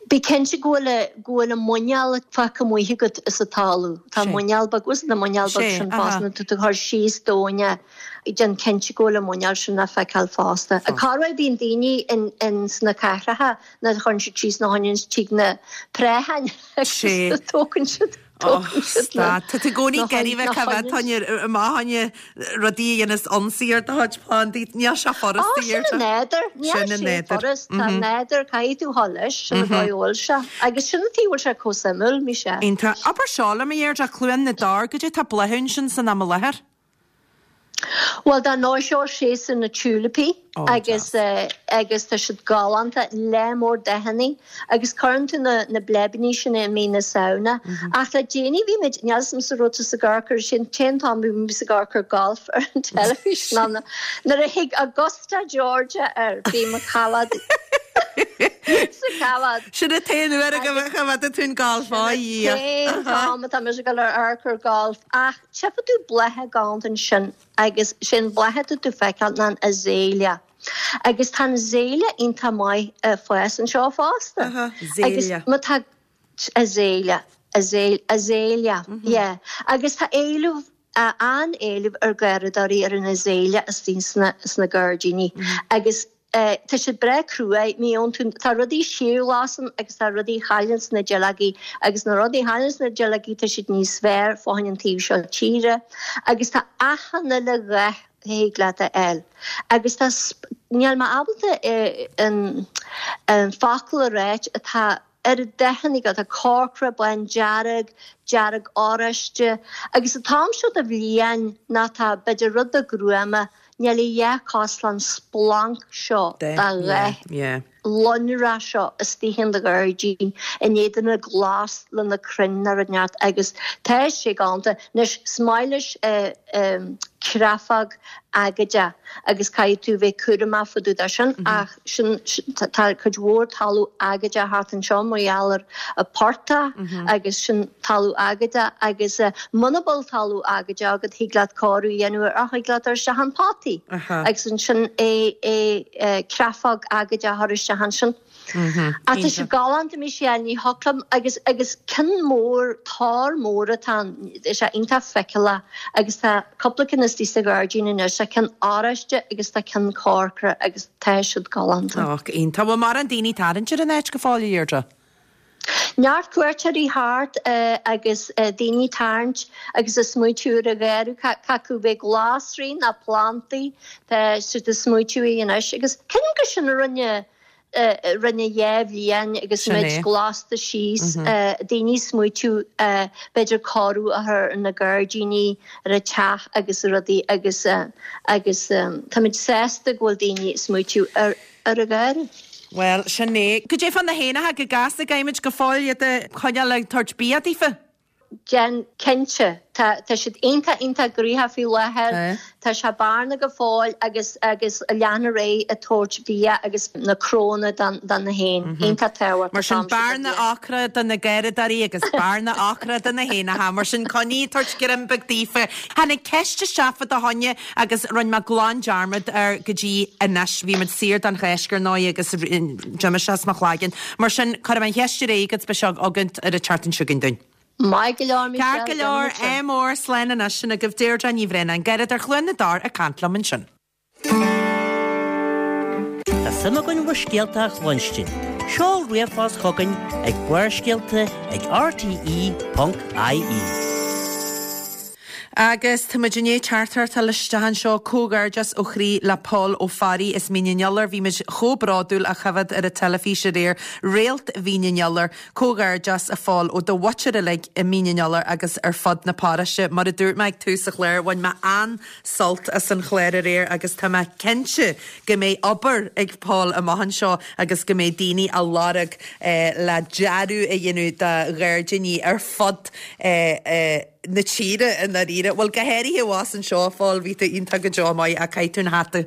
bí cinnte go bhfuil go bhfuil an muineál fágtha amuigh agat sa talamh. Tá muineál beag, bhfuil na muineál beag sin fosta nuair atá tú ag cur síos domhain é. Déan cinnte go bhfuil an muineál sin le feiceáil fosta. Corruair bíonn daoine in sna cathracha nuair a chuireann siad síos na honions tig na préacháin agus tógann siad tógann siad na Tá tú i gcónaí ag iarraidh bheith coimhéad fá choinne amach fá choinne rudaí a dhéanas ionsaí ar do chuid plandaí. Níl sé furasta Ó, sin an nádúr. Níl sé furast. Tá an nádúr, caithfidh tú dhul leis, sin an dóigh a bhfuil sé. Agus sin an tuige a bhfuil sé chomh suimiúil, Michelle. Iontach. Abair seo liom, a Dheirdre, Cluain na dTor, goidé tá ag bláthú ansin san am i láthair? Bhuel, dar ndóigh, seo séasúr na tiúilipí agus agus tá siad galánta, lear mór dathanna agus cuireann tú na na bleibeanna sin i mí na Samhna. Ach le déanaí bhí muid, níl 'fhios a'msa raibh tusa ag amharc air sin, an t-aon t-am a bhí mise ag amharc ar golf ar an teilifís ná nuair a thig Augusta Georgia air, bhí mo choimhéad sa choimhéad. Sin an t-aon uair a choimhéadann tú an golf, á Dhia. Sin an t-aon t-am atá mise ag dul ar amharc ar golf ach Tchífidh tú blátha galánta ansin agus sé an bláth atá tú feiceáil ná an azalea. Agus tá an azalea iontach maith ag fás anseo fosta. Agus má tá azalea, azalea, yeah. Agus tá éileamh, an-éileamh ar gharradóirí ar an azalea istigh sna gairdíní. Agus Tá siad breá cruaidh, ní fhaigheann tú, tá rudaí síorghlas ann agus tá rudaí a chailleanns na duilleogaí agus na rudaí a chailleanns na duilleogaí tá siad níos fearr fá choinne an taobh seo tíre agus tá achan uile dhath a thig leat a fháil agus tá, níl mé ábalta an focal a ráit atá oiread dathanna agat, tá corcra, bán dearg, dearg oráiste agus an t-am seo de bhliain ná tá b'fhéidir rud beag gruama, níl a dhath cosúil leis an splanc seo de dhath. lonrach seo istigh in do ghairdín in éadan na glas le na crainn ná rud inteacht agus tá sé galánta. Anois, is maith leis creafóg agóideach agus caithfidh tú bheith cúramach fá dtaobh de sin ach sin tá cuid mhór talamh agóideach thart anseo mar gheall ar an portach agus sin talamh agóideach agus muna bhfuil talamh agóideach agat thig leat cóiriú a dhéanamh air ach thig leat dul isteach in potaí agus ansin é é creafóg agóideach a chur isteach ansin. Ach tá sé galánta Michelle, ní thiocfadh liom agus agus ceann mór, tor mór atá ann, tá sé iontach feiceálach agus tá cúpla ceann istigh sa ghairdín anois, tá ceann oráiste agus tá ceann corcra agus tá siad galánta. Och, iontach. Bhfuil mórán daoine ag tarraingt ar an áit go fóill, a Dheirdre? Neart cuairteoirí thart agus daoine ag tarraingt agus ag smaoitiú ar an gharradh, cad acu bheith glasraí ná plantaí, tá siad ag smaoitiú air anois agus ceapaim gur sin a rinne rinne dhá bhliain agus muid glasta síos, daoine ag smaoitiú b'fhéidir cóiriú a chur ar na gairdíní, ar an teach agus rudaí agus agus táimid sásta go bhfuil daoine ag smaoitiú ar ar an gharradh. Bhuel, sin é. Goidé fá na héanacha go gasta gcaithfimid go fóill iad a choinneáil ag tabhairt bia daofa? Déan cinnte. Tá tá siad iontach iontach gnoitheach faoi láthair. Tá sé bearna go fóill agus agus lean ar aghaidh ag tabhairt bia agus na crónna don don na héin. Iontach tábhachtach Mar sin bearna ocra do na garradóirí agus bearna ocra do na héanacha. Mar sin coinnigh ag tabhairt greim beag daofa. Tháinig ceist isteach fá do choinne Agus rinne mé glan dearmad air go dtí anois. Bhí muid saor don Cháisc ar ndóigh agus d'imigh sé as mo chloigeann. Mar sin, cuirfidh mé an cheist ar aghaidh agat, beidh seo agat ar an tseachtain seo chugainn dúinn. Maith go leor, Michelle, Ceart go leor, déanfaidh muid sin. Ádh mór, slán anois, sin agaibh Deirdre Ní Bhraonáin, Garradóir Chluain na dTor ag caint liom ansin. Tá suim againn bhur scéalta a chluinstin. Seol ríomhphost chugainn ag barrscéalta ag rte.ie. Agus tá muid i ndiaidh teachtaireacht a fháil isteach anseo, Comhghairdeas ó chroí le Pól Ó Fearraigh as Mín an Iolair. Bhí muid chomh bródúil á choimhéad ar an teilifís aréir. Réalt Mhín an Iolair. Comhghairdeas a Phóil ó do mhuintir uilig i Mín an Iolair agus ar fud na paróiste. Mar a dúirt mé ag tús an chláir, bhain mé an-sult as an chlár aréir agus tá mé cinnte go mbeidh obair ag Pól amach anseo agus go mbeidh daoine á lorg le dearadh a dhéanamh do ghairdíní ar fud na tíre i ndáiríre. Bhuel, go háirithe abhus anseo, a Phóil, bhí tú iontach go deo maith ach caithfidh tú an hata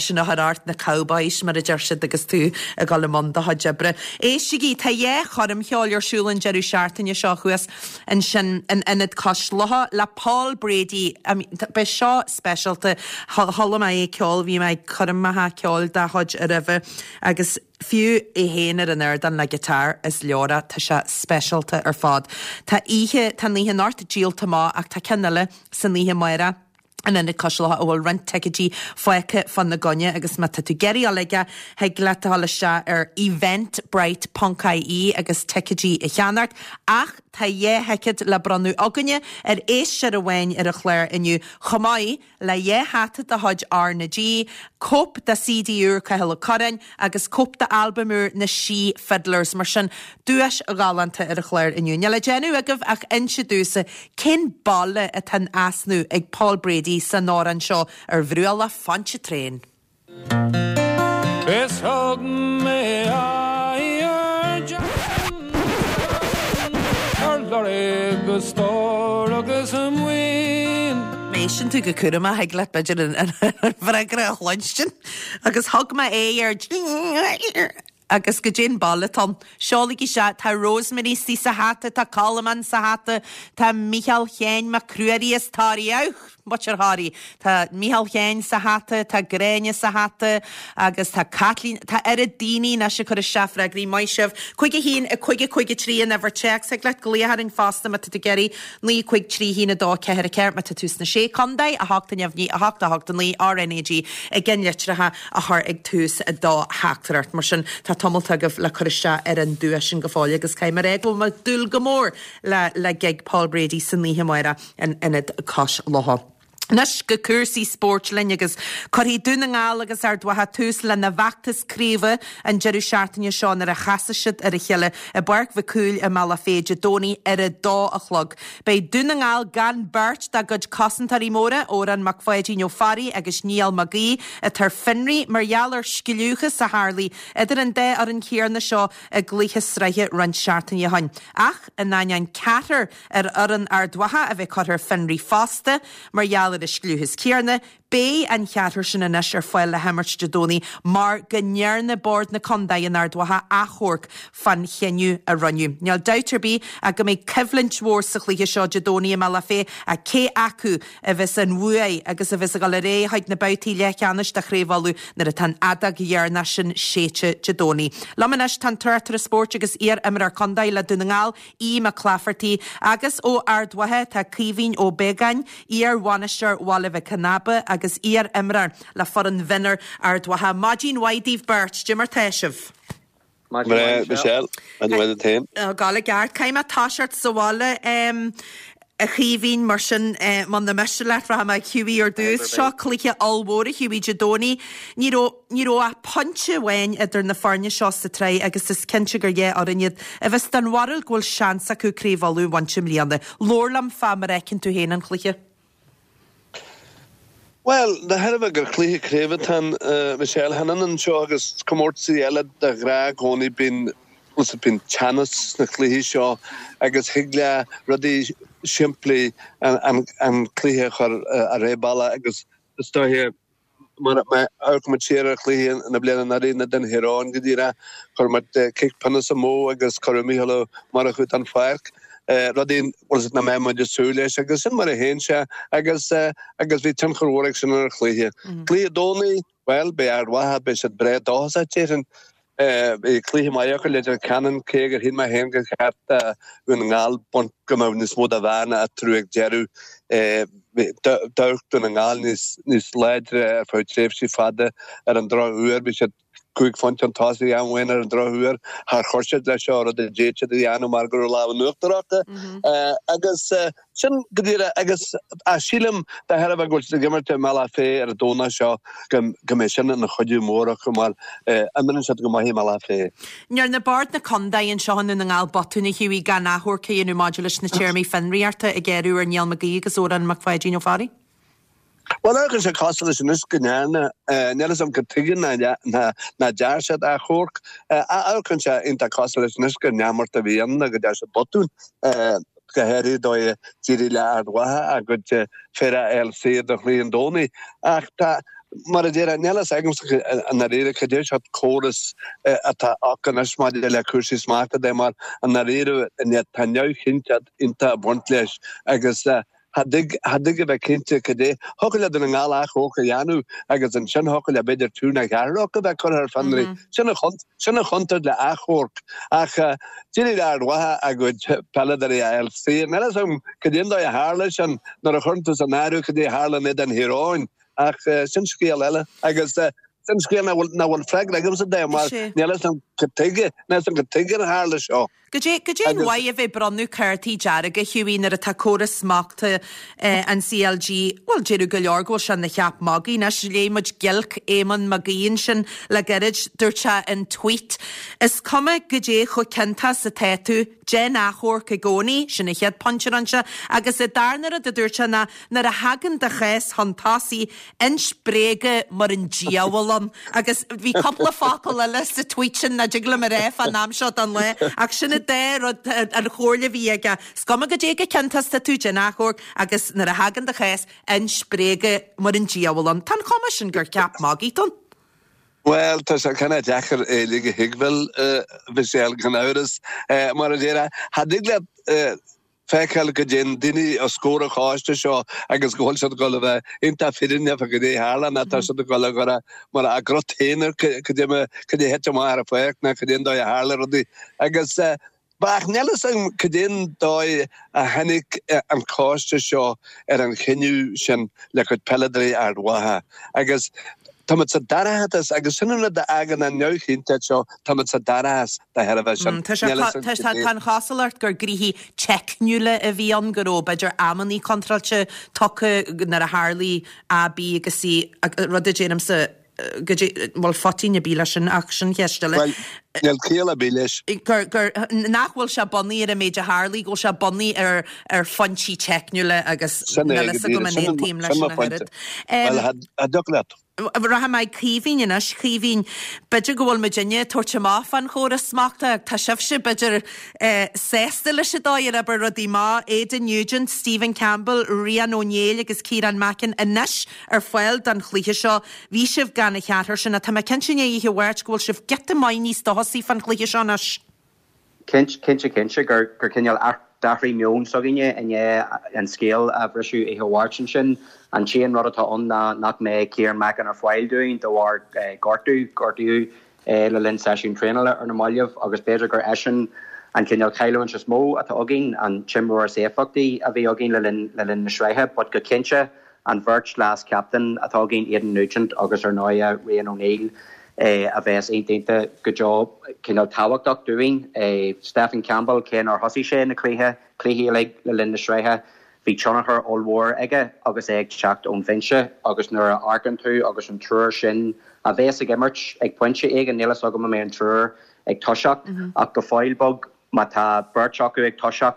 sin a chur ort, na cowboys mar a deir siad agus tú ag dul i mbun do chuid oibre. Éistigí, tá dhá choirm cheoil ar siúl an deireadh seachtaine seo thuas ansin in Ionad Cois Locha le Paul Brady. I mean, beidh seo speisialta. Chuala mé é ag ceol, bhí mé ag coirmeacha ceoil dá chuid roimhe agus Fiú é féin ar an ardán le guitar is leabhra, tá sé speisialta ar fad. Tá oíche, tá an oíche anocht díolta amach ach tá ceann eile san oíche amárach in Ionad Cois Locha a bhfuil roinnt ticéidí fágtha fána gcoinne agus má tá tú ag iarraidh dul aige, thig leat a dhul isteach ar eventbrite ponc ie agus ticéidí a cheannacht. Ach tá dhá thicéad le bronnadh againne ar éisteoir amháin ar an chlár inniu chomh maith. le dhá hata de chuid R na G, cóip de CD úr Cathal Ó Curráin agus cóip d'albam úr na Sí Fiddlers. Mar sin, duais ghalánta ar an chlár inniu. Níl le déanamh agaibh ach inse domhsa cén baile atá in easnamh ag Paul Brady san amhrán seo ar Bhruach Phontchartrain. Is thug mé aghaidh ar Jackson ar lorg a stór agus a maoin. Má éisteann tú go cúramach thig leat b'fhéidir an freagra a chluinstin. Agus thug mé aghaidh ar agus goidé an baile atá ann. Seolaigí isteach, tá Rosemary istigh sa hata, tá Colmán sa hata, tá Mícheál Sheáin Mac Ruairí as Toraigh, Auch! Muintir Thoraí. Tá Mícheál Sheáin sa hata, tá Gráinne sa hata agus tá Caitlín, tá oiread daoine anois ag cur isteach freagraí, maith sibh. 5 1 5 5 3 an uimhir téacs, thig leat glaoch orainn fosta má tá tú ag iarraidh, 9 5 3 1 2 4 4 má tá tú sna Sé Contae, 8 neamhní 8 8 9 RNAG i gceannlitreacha a chur ag tús do theachtaireacht. Mar sin tá tamalt agaibh le cur isteach ar an duais sin go fóill agus caithfidh mé a rá go bhfuil mé ag dúil go mór le le gig Paul Brady san oíche amárach. in Ionad Cois Locha. Anois go cúrsaí spóirt linn agus cuirfidh Dún na nGall agus Ard Mhacha tús lena bhfeachtas craoibhe an deireadh seachtaine seo nuair a chasfaidh siad ar a chéile i bPáirc Mhic Cumhaill i mBealach Féich Dé Domhnaigh ar a dó a chlog. Beidh Dún na nGall gan beirt dá gcuid cosantóirí móra, Odhrán Mac Pháidín Ó Fearraigh agus Niall Mag Aoidh, atá ar fionraí mar gheall ar scliúchas a tharlaigh idir an dá fhoireann chéanna seo i gcluiche sraithe roinnt seachtainí ó shin. Ach in ainneoin ceathrar ar fhoireann Ard Mhacha a bheith curtha ar fionraí fosta mar gheall ar an scliúchas céanna, beidh an cheathrar sin anois ar fáil le himirt Dé Domhnaigh mar go ndearna Bord na Condae in Ard Mhacha achomharc fán chinneadh a rinneadh. Níl dabht ar bith ach go mbeidh coimhlint mhór sa chluiche seo Dé Domhnaigh i mBealach Féich ach cé acu a bheas an bhuaidh agus a bheas ag dul ar aghaidh chuig na babhtaí leathcheannais de Chraobh Uladh nuair atá an fheadóg dheireanach sin séidte Dé Domhnaigh. Liom anois tá an tráchtaire spóirt agus iar-imreoir contae le Dún na nGall, Aodh Mac Laifeartaigh, agus ó Ard Mhacha tá Caoimhín Ó Beagáin, iar-bhainisteoir Bhaile Mhic Con Aba agus iar-imreoir le foireann mhionúir Ard Mhacha. Maidin mhaith daoibh beirt, cad é mar tá sibh? Maidin mhaith Michelle, maidin mhaith duit féin. Ag gabháil i gceart. Caithfidh mé toiseacht sa bhaile a Chaoimhín, mar sin muna miste leat rachaidh mé ag Hughie ar dtús. Seo cluiche ollmhór a Hughie Dé Domhnaigh. Ní raibh Ní raibh ach pointe amháin idir na foirne seo sa tsraith agus is cinnte gur dhá fhoireann iad a bheas den bharúil go bhfuil seans acu Craobh Uladh a bhaint i mbliana. Labhair liom fá mar a fheiceann tú féin an cluiche. Bhuel, de thairbhe gur cluiche craoibhe atá ann, Michelle, chan ionann seo agus comórtaisí eile de ghnáth i gcónaí bíonn bíonn teannas sna cluichí seo agus thig le rudaí simplí an cluiche a chur ar bealach agus is dóiche Mar má amharcann muid siar ar chluiche na bliana anuraidh in éadan Thír Eoghain go díreach, chuir muid cic pionóis amú agus cuireadh Mícheál Ó Murchú den pháirc, rudaí nach mbeadh muid ag súil leis agus sin mar a théann sé agus agus bhí tionchar mhór ag sin ar an chluiche. Cluiche Domhnaigh, bhuel, beidh Ard Mhacha, beidh siad breá dóchasach déarfainn. Bhí cluiche maith acu le Leitir Ceanainn, cé gur shíl mé féin gur cheart do Dhún na nGall baint go mbeadh níos mó de bhearna eatarthu ag deireadh. D'amharc Dún na nGall níos láidre ar feadh tréimhsí fada ar an drochuair. Bhí siad cúig phointe chun tosaigh am amháin ar an drochuair. Char chuir siad leis seo, rud a d'fhéad siad a dhéanamh mar go raibh lámh in uachtar acu. Agus Sin go díreach, agus sílim, de thairbhe go bhfuil siad ag imirt i mBealach Féich ar an Domhnach seo, go mbeidh sin ina chuidiú mór acu mar imríonn siad go maith i mBealach Féich. ndearna Bord na Condae anseo i nDún na nGall botún a Hughie gan achomharc a dhéanamh maidir leis na téarmaí fionraíochta a gearradh ar Niall Mag Aoidh agus Odhrán Mac Pháidín Ó Fearraigh. Bhuel, amharcann sé cosúil leis anois go ndearna, níl a fhios agam cad tuige nach ndear siad achomharc, amharcann sé iontach cosúil leis anois gur neamart a bhí ann nó go ndear siad botún, go háirithe dóigh a d'éirigh le Ard Mhacha a gcuid fir a fháil saor do chluiche an Domhnaigh. Ach tá, mar a déarfá, níl a fhios agamsa i ndáiríre cad é sórt córas atá acu anois maidir le cúrsaí smachta de mar i ndáiríre tá neamhchinnteacht iontach ag baint leis agus Cha dtig, cha dtig a bheith cinnte cad é. Thiocfadh le Dún na nGall achomharc a dhéanamh agus ansin thiocfadh le b'fhéidir triúr nó ceathrar acu a bheith curtha ar fionraí. Sin an, sin an chontúirt le achomharc. Ach d'éirigh le Ard Mhacha a gcuid peileadóirí a fháil saor. Níl a fhios agam cad é an dóigh a tharla sin nuair a chuireann tú san áireamh cad é a tharla in éadan Thír Eoghain. Ach sin scéal eile. Agus sin scéal nach bhfuil, nach bhfuil freagra agamsa de mar níl a fhios agam cad tuige, níl a fhios agam cad tuige ar tharla seo. Goidé, goidé an mhaith a bheith ag bronnadh cártaí dearga, Hughie, nuair atá córas smachta an CLG, bhuel, déarfadh go leor go bhfuil sé ina cheap magaidh. Anois, léigh muid giolc Éamonn Mac Aoidh ansin le gairid, dúirt sé in tweet, Is cuma goidé chomh ciontach is atá tú, déan achomharc i gcónaí, sin an chéad pointe a rinne sé, agus an darna rud a dúirt sé ná, nuair a thagann do chás chun tosaigh, Ins bréaga mar an diabhal ann. Agus bhí cúpla focal eile sa tweet sin nach dtig liom a rá fán am seo den lá, ach sin an dá rud, an chomhairle a bhí aige. Is cuma goidé chomh ciontach is atá tú, déan achomharc agus nuair a thagann do chás, ins bréaga mar an diabhal ann. Tá an chuma sin gur ceap magaidh atá ann. Bhuel, tá sé kind of deacair é uilig a thuigbheáil, a Mhichelle, gan amhras. Mar a déarfá, cha dtig leat feiceáil go dtéann daoine os comhair an choiste seo agus go bhfuil siad ag dul a bheith iontach fírinneach fá goidé a tharla nó tá siad ag dul a chur mar a gcrot féin ar cad é cad é a thit amach ar an pháirc nó cad é an dóigh a tharla rudaí agus ach níl a fhios agam cad é an dóigh a tháinig an coiste seo ar an chinneadh sin le cuid peileadóirí Ard Mhacha agus. Táimid sa dorchadas agus sin an rud a fhágann an neamhchinnteacht seo, táimid sa dorchadas de thairbhe sin. Tá sé, tá, tá an chosúlacht gur gnoithí teicniúla a bhí ann, go raibh b'fhéidir amannaí contráilte tugtha nuair a tharlaigh A, B agus C, rud a deirimse go dtí, bhuel faitín ar bith leis sin ach sin ceist eile. Bhuel, níl ciall ar bith leis. Gur, gur, nach bhfuil sé bunaithe ar an méid a tharlaigh, go bhfuil sé bunaithe ar, ar phointí teicniúla agus Sin é níl go fhios agam díreach, an sin, aontaím leis sin sin mo ach phointe. oiread. Bhuel, cha dtiocfadh leat. Rachaidh mé ag Caoimhín anois. Caoimhín, b'fhéidir go bhfuil muidinne ag tabhairt amach fán chóras smachta ach tá sibhse, b'fhéidir, sásta leis an dóigh ar oibir rudaí amach. Aidan Nugent, Stephen Campbell, Rian Ó Néill agus Ciarán Mackin anois ar fáil don chluiche seo. Bhí sibh gan an cheathrar sin ach tá mé cinnte i ndiaidh oíche Mháirt go bhfuil sibh giota maith níos dóchasaí fán chluiche seo anois. Cinnte, cinnte, cinnte gur gur cineál d'athraigh meon s'againne i ndiaidh an scéal a bhriseadh oíche Mháirt ansin. An t-aon rud atá ann ná nach mbeidh Ciarán Mackin ar fáil dúinn de bharr gortú, gortaíodh é le linn seisiún traenála ar na mallaibh agus b'fhéidir gur eisean an cineál cailliúint is mó atá againn, an t-imreoir is éifeachtaí a bhí againn le linn le linn na sraithe but go cinnte An bheirt leas-chaptaen atá againn, Aidan Nugent agus ar ndóighe Rian O'Neill, a bheas iontach go deo cineál tábhachtach dúinn. Stephen Campbell, cé nár thosaigh sé na cluiche, cluichí uilig le linn na sraithe, bhí tionchar ollmhór aige agus é ag teacht ón bhinse agus nuair a amharcann tú agus an triúr sin a bheas ag imirt ag pointe éigin, níl fhios agam an mbeidh an triúr ag toiseacht ach go fóill beag má tá beirt acu ag toiseacht,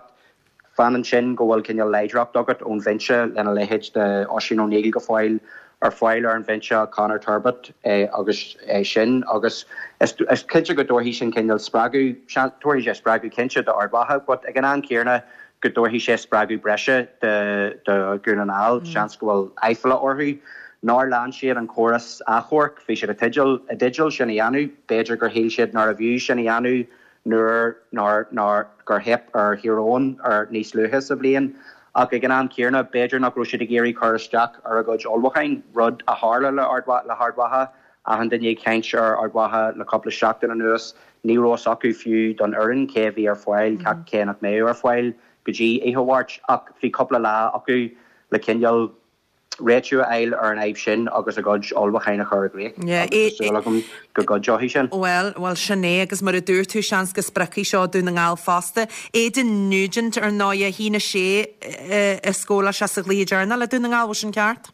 Fanann sin go bhfuil cineál láidreacht agat ón bhinse lena leithéid de Oisín O'Neill go fóill ar fáil ar an bhinse, Conor Turbitt agus sin agus is cinnte go dtabharfaidh sin cineál spreagadh, tabharfaidh sé spreagadh cinnte d'Ard Mhacha but ag an am céanna go dtabharfaidh sé spreagadh breise do Dhún na nGall, seans go bhfuil aiféala orthu nár lean siad an córas achomhairc, bhí siad i dteideal i dteideal sin a dhéanamh, b'fhéidir gur shíl siad nárbh fhiú sin a dhéanamh nuair nár nár gur theip ar Thír Eoghain ar níos luaithe sa bhliain ach ag an am céanna b'fhéidir nach raibh siad ag iarraidh cur isteach ar a gcuid ullmhúcháin, rud a tharla le Ard le hArd Mhacha. Achan duine ag caint ar Ard Mhacha le cúpla seachtain anuas, ní raibh fhios acu fiú don fhoireann cé a bhí ar fáil, cé nach mbeadh ar fáil go dtí oíche Mháirt ach bhí cúpla lá acu le cineál réitiú a fháil ar an fhadhb sin agus a gcuid ullmhúcháin a chur i gcrích agus tá súil agam go gcuideoidh sin. Bhuel, bhuel, sin é agus mar a dúirt tú, seans go spreagfaidh seo Dún na nGall fosta. Aidan Nugent, ar ndóigh, 1-6 a scóráil sé sa chluiche deireanach le Dún na nGall, bhfuil sin ceart?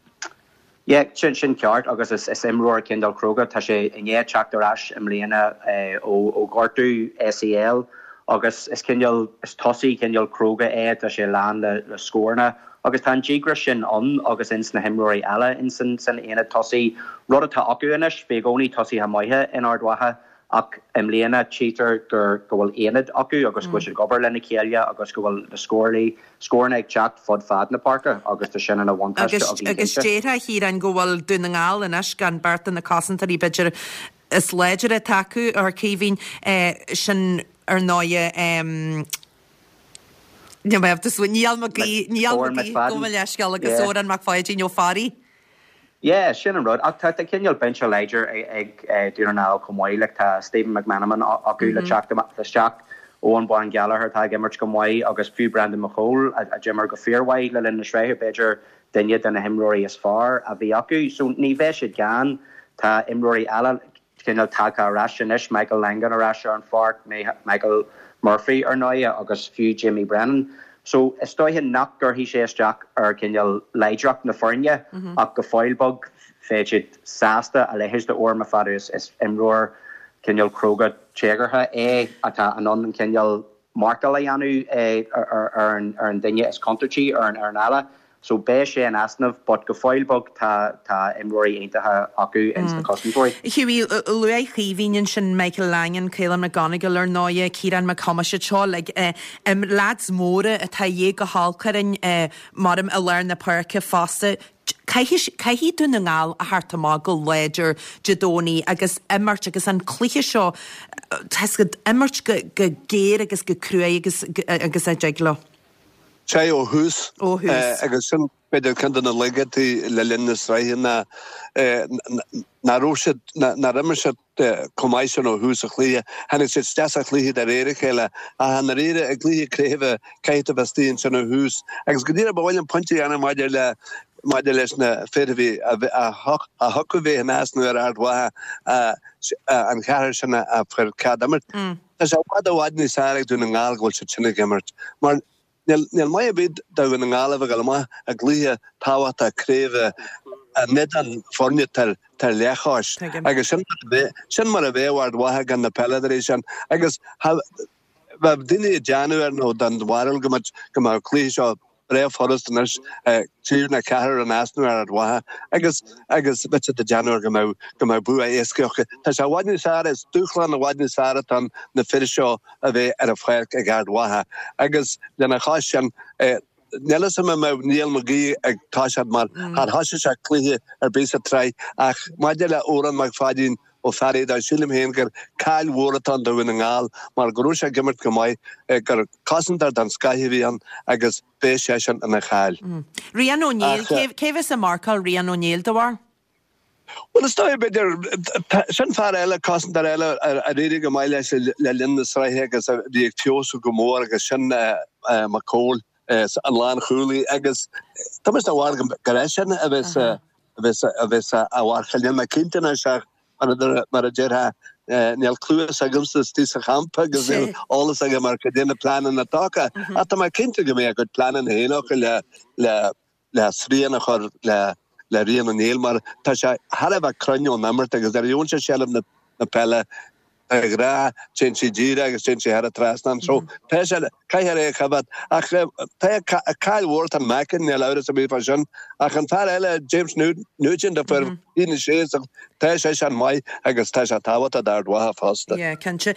Yeah, sin, sin ceart agus is, is imreoir cineál cróga, tá sé i ndiaidh teacht ar ais i mbliana ó, ó ghortú ACL agus is cineál, is tosaí cineál cróga é, tá sé lán le, le scóranna. Agus tá an díograis sin ann agus ins na himreoirí eile ins an san aonad tosaigh, rud atá acu anois. Bhí i gcónaí tosaithe maithe in Ard Mhacha ach i mbliana tchítear gur go bhfuil aonad acu agus go bhfuil siad ag obair lena chéile agus go bhfuil na scórálaí, scóranna ag teacht fud fad na páirce agus tá sin ina bhuntáiste Agus againn agus cinnte. déarfá a Chiaráin go bhfuil Dún na nGall anois gan beirt de na cosantóirí b'fhéidir is láidre atá acu, ar Caoimhín, sin ar ndóighe, Níl mé ábalta smaoineamh. Niall Mac Aoidh, Niall Odhrán Mac Aoidh, McFadden. gabh mo leithscéal agus Yeah. Odhrán Mac Pháidín Ó Fearraigh. Yeah, sin an rud. Ach tá tá cineál binse láidir ag ag Dún na nGall chomh maith. Like tá Stephen McMenamin acu le teacht isteach, Eoghan Bán Gallagher atá ag imirt go maith agus fiú Brendan McCole a d'imir go fíormhaith le linn na sraithe, b'fhéidir duine de na himreoirí is fearr a bhí acu. So ní bheidh siad gann. Tá imreoirí eile cineál tagtha ar ais anois, Michael Langan ar ais ar an pháirc, Michael Murphy ar ndóighe agus fiú Jamie Brennan. So is dóiche nach gcuirfidh sé isteach ar cineál láidreacht na foirne ach go fóill beag bheadh siad sásta a leithéid de Odhrán McFadden is imreoir cineál cróga téagartha é atá in ann an cineál marcáil a dhéanamh ar an duine is contúirtí ar an fhoireann eile. So beidh sé in easnamh but go fóill beag tá tá imreoirí iontacha acu ins na cosantóirí. Hughie, luaigh Caoimhín ansin Michael Langan, Caolan McGonagle ar ndóighe, Ciarán Mac Thomáis, iad seo like lads móra atá a dhíth go holc orainn maram i lár na páirce fosta. Caithfidh, caithfidh Dún na nGall a theacht amach go láidir Dé Domhnaigh agus imirt agus an cluiche seo, tá 'fhios agat, imirt go, go géar agus go cruaidh agus, agus a dtig leo. Sea, ó thús. Ó thús. Agus sin b'fhéidir ceann de na laigeachtaí le linn na sraithe ná nach raibh siad, nár imir siad chomh maith sin ó thús an chluiche. Tháinig siad isteach sa chluiche de réir a chéile ach i ndáiríre i gcluiche craoibhe caithfidh tú a bheith istigh ansin ó thús. Agus go díreach ba mhaith liom pointe a dhéanamh maidir le. maidir leis na fir a bhí a thiocfadh bheith in easnamh ar Ard Mhacha an cheathrar sin a fuair cead imirt. Tá sé i bhfad i bhfad níos fearr ag Dún na nGall go bhfuil siad sin ag imirt mar Níl maith ar bith do Dhún na nGall a bheith ag dul amach i gcluiche tábhachtach craoibhe in éadan foirne atá ar leathchois agus sin sin mar a bheadh Ard Mhacha gan na peileadóirí sin agus bheadh daoine ag déanamh ar nó den bharúil go mbeadh go mbeadh an cluiche seo breá furast anois triúr nó ceathrar in easnamh ar Ard Mhacha agus agus bheadh siad ag déanamh ar go mbeadh go mbeadh bua éasca acu. Tá sé i bhfad níos fearr, is dúshlán i bhfad níos fearr atá ann na fir seo a bheith ar an pháirc ag Ard Mhacha agus lena chois sin níl fhios agam an mbeadh Niall McGee ag toiseacht mar char thoisigh sé cluiche ar bith sa tsraith ach maidir le Odhrán Mac Pháidín Ó Fearraigh dó sílim féin gur caill mhór atá ann do Dhún na nGall mar go raibh sé ag imirt go maith gur cosantóir den scoith a bhí ann agus beidh seisean ina chaill. Rian Ó Néill, cé bheas ag marcáil Rian Ó Néill do bharr? Bhuel, is dóigh, b'fhéidir, sin fear eile, cosantóir eile ar éirigh go maith leis le linn na sraithe agus a bhí ag feabhsú go mór agus sin Mac Cóil, an lánchúlaí agus tá mise den bharúil gur eisean a bheas a bheas á mharcáil. Níl mé cinnte anois ach mar a déarfá, níl cluas agamsa istigh sa champa agus níl eolas agam ar cad é na pleananna atá acu ach tá mé cinnte go mbeidh a gcuid pleananna féin acu le le le srian a chur le le Rian Ó Néill mar tá sé thar a bheith cruinn ón imirt agus nuair a gheobhann sé seilbh na peile de ghnáth téann sé díreach agus téann sé thar an trasnán. So tá sé caithfear é a choimhéad ach tá caill mhór atá in Mackin níl amhras ar bith fá sin ach an fear eile James Nugent a fuair 16 tá seisean maith agus tá sé tábhachtach d'Ard Mhacha fosta. Yeah, cinnte.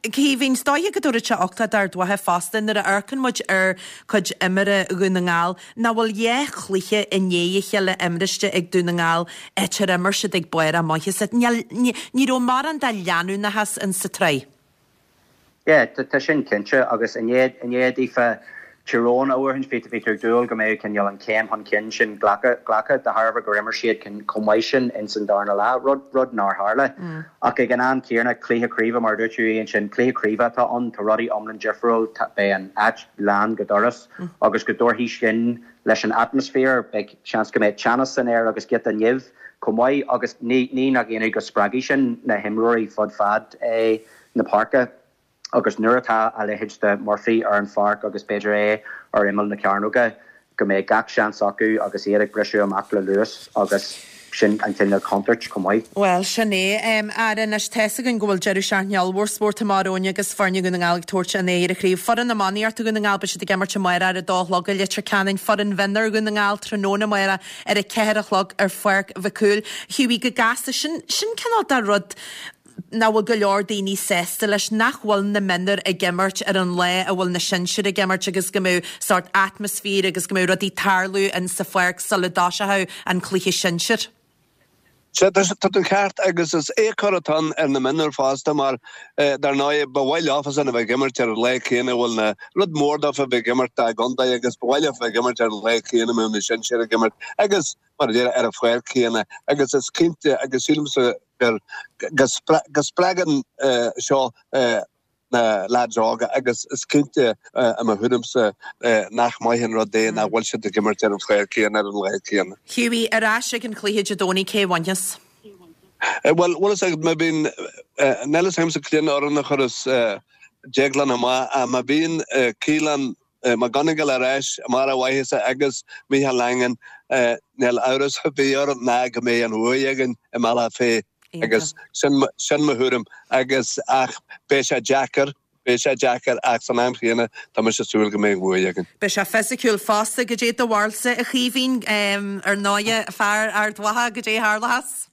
Caoimhín, is dóiche go dtabharfadh sé uchtach d'Ard Mhacha fosta nuair a amharcann muid ar chuid imeartha Dhún na nGall, nach bhfuil dhá chluiche i ndiaidh a chéile imriste ag Dún na nGall áit ar imir siad ag barr a maitheasa. Ní raibh mórán de leanúnachas in sa tsraith. Yeah, tá sin cinnte agus i ndiaidh, i ndiaidh daofa Tír Eoghain a bhuachaint, bhí, bhí tú ag dúil go mbeadh cineál an chéim chun cinn sin glactha, glactha de thairbhe gur imir siad chomh maith sin ins an darna leath, rud, rud nár tharla. Ach ag an am céanna, cluiche craoibhe, mar a dúirt tú ansin, cluiche craoibhe atá ann, tá rudaí iomlán difriúil, tá, beidh an áit lán go doras agus go dtabharfaidh sin leis an atmaisféar, beidh seans go mbeidh teannas san aer agus giota nimh chomh maith agus ní, ní nach ionadh go spreagfaidh sin na himreoirí fud fad na páirce agus nuair atá a leithéid de Murphy ar an pháirc agus b'fhéidir é ar imeall na cearnóige go mbeidh gach seans acu agus iad ag briseadh amach le luas agus sin an cineál contúirt chomh maith. Bhuel, sin é. Ara anois, tá's againn go bhfuil deireadh seachtaine ollmhór spóirt amach romhainn agus foirne Dhún na nGall ag tabhairt a n-aghaidh ar an chraobh. Foireann iománaíochta Dhún na nGall, beidh siad ag imirt amárach ar a dó a chlog i Leitir Ceanainn. Foireann mhionúir Dhún na nGall tráthnóna amárach ar a ceathair a chlog ar Pháirc Mhic Cumhaill. Hughie, go gasta, sin, sin cineál de rud nach bhfuil go leor daoine sásta leis, nach bhfuil na mionúir ag imirt ar an lá a bhfuil na sinsir ag imirt agus go mbeadh sórt atmaisféar agus go mbeadh rudaí ag tarlú in sa pháirc sula dtoiseochadh an cluiche sinsir. Sea, tá tú ceart agus is éagcóir atá ann ar na mionúir fosta mar dar ndóigh ba mhaith leofasan a bheith ag imirt ar an lá céanna a bhfuil na, rud mór dófa a bheith ag imirt dá gcontae agus ba mhaith leofa a bheith ag imirt ar an lá céanna a mbeadh na sinsir ag imirt agus mar a déarfá, ar an pháirc chéanna agus is cinnte agus sílimse gur go spreagann seo na leaids óga agus is cinnte i mo thuairimse nach maith an rud é nach bhfuil siad ag imirt ar an pháirc chéanna ar an lá céanna. Hughie, ar ais ag an chluiche Dé Domhnaigh, cé a bhainfeas? Bhuel, bhfuil fhios agat, má bhíonn, níl fhios agamsa cén fhoireann a chuireas Déaglán amach ach má bhíonn Caolán McGonigle ar ais i mbarr a mhaitheasa agus Micheál Langan, níl amhras ar bith orm ná go mbeidh an bhuaidh againn i mBealach Féich agus sin sin mo thuairim agus ach beidh sé deacair, beidh sé deacair ach san am chéanna tá mise ag súil go mbeidh an bhuaidh againn. Beidh sé fisiciúil fosta, goidé do bharúilsa a Chaoimhín, ar ndóighe fear Ard Mhacha, goidé a tharlóchas?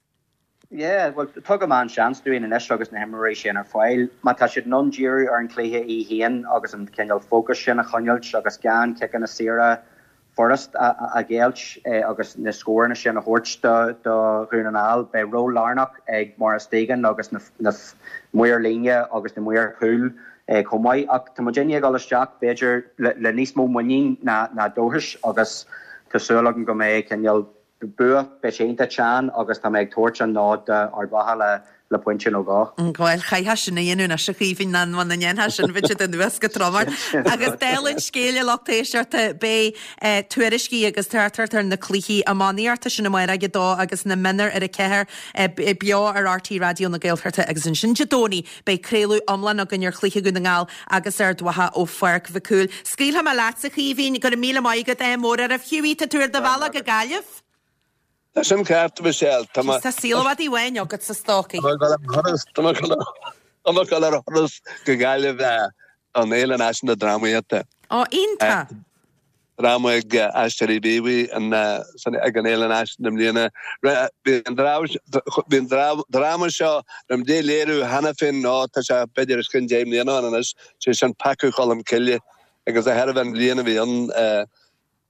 Yeah, bhuel, tugaim an-seans dúinn anois agus na himreoirí sin ar fáil. Má tá siad in ann díriú ar an chluiche í féin agus an cineál fócais sin a choinneáilt agus gan ciceanna saora furast a ghéillt agus na scóranna sin a thabhairt do Dhún na nGall, beidh ról lárnach ag Maurice Deegan agus na maoir líne agus na maoir chúil chomh maith. Ach tá muidinne ag dul isteach, b'fhéidir, le níos mó muinín ná dóchais agus tá súil agam go mbeidh cineál Bua, beidh sé iontach teann agus tá mé ag tabhairt an nod d'Ard Mhacha le. Le pointe nó dhó. Bhuel, chaithfeá sin a dhéanamh anois, a Chaoimhín, nó muna ndéanfá sin, bheadh siad anuas go trom ort. Agus dála an scéil, a lucht éisteachta, beidh tuairiscí agus tráchtaireacht ar na cluichí iománaíochta sin amárach ag a dó agus na mionúir ar a ceathair beo ar RTÉ Raidió na Gaeltachta agus ansin Dé Domhnaigh beidh craoladh iomlán againn ar chluiche Dhún na nGall agus Ard Mhacha ó Pháirc Mhic Cumhaill. Scaoilfidh mé leatsa, a Chaoimhín, go raibh míle maith agat, ádh mór oraibh. Hughie, tá tú ar do bhealach go Gaillimh? Tá sin ceart, a Mhichelle. Tá mé. Tá saol i bhfad uainn agat sa stocaí. Tá mé ag dul ar thuras, tá mé ag dul tá mé ag dul ar thuras go Gaillimh don Fhéile Náisiúnta Drámaíochta. Ó, iontach! Dráma ag Aisteoirí Mhíobhaigh ag an Fhéile Náisiúnta i mbliana. Bhí an bhí an dráma seo raibh muid á léiriú cheana féin, nó tá sé b'fhéidir os cionn 10 mbliana ann anois, sé sin Peacadh Cholm Cille agus de thairbhe an bhliain a bhí ann,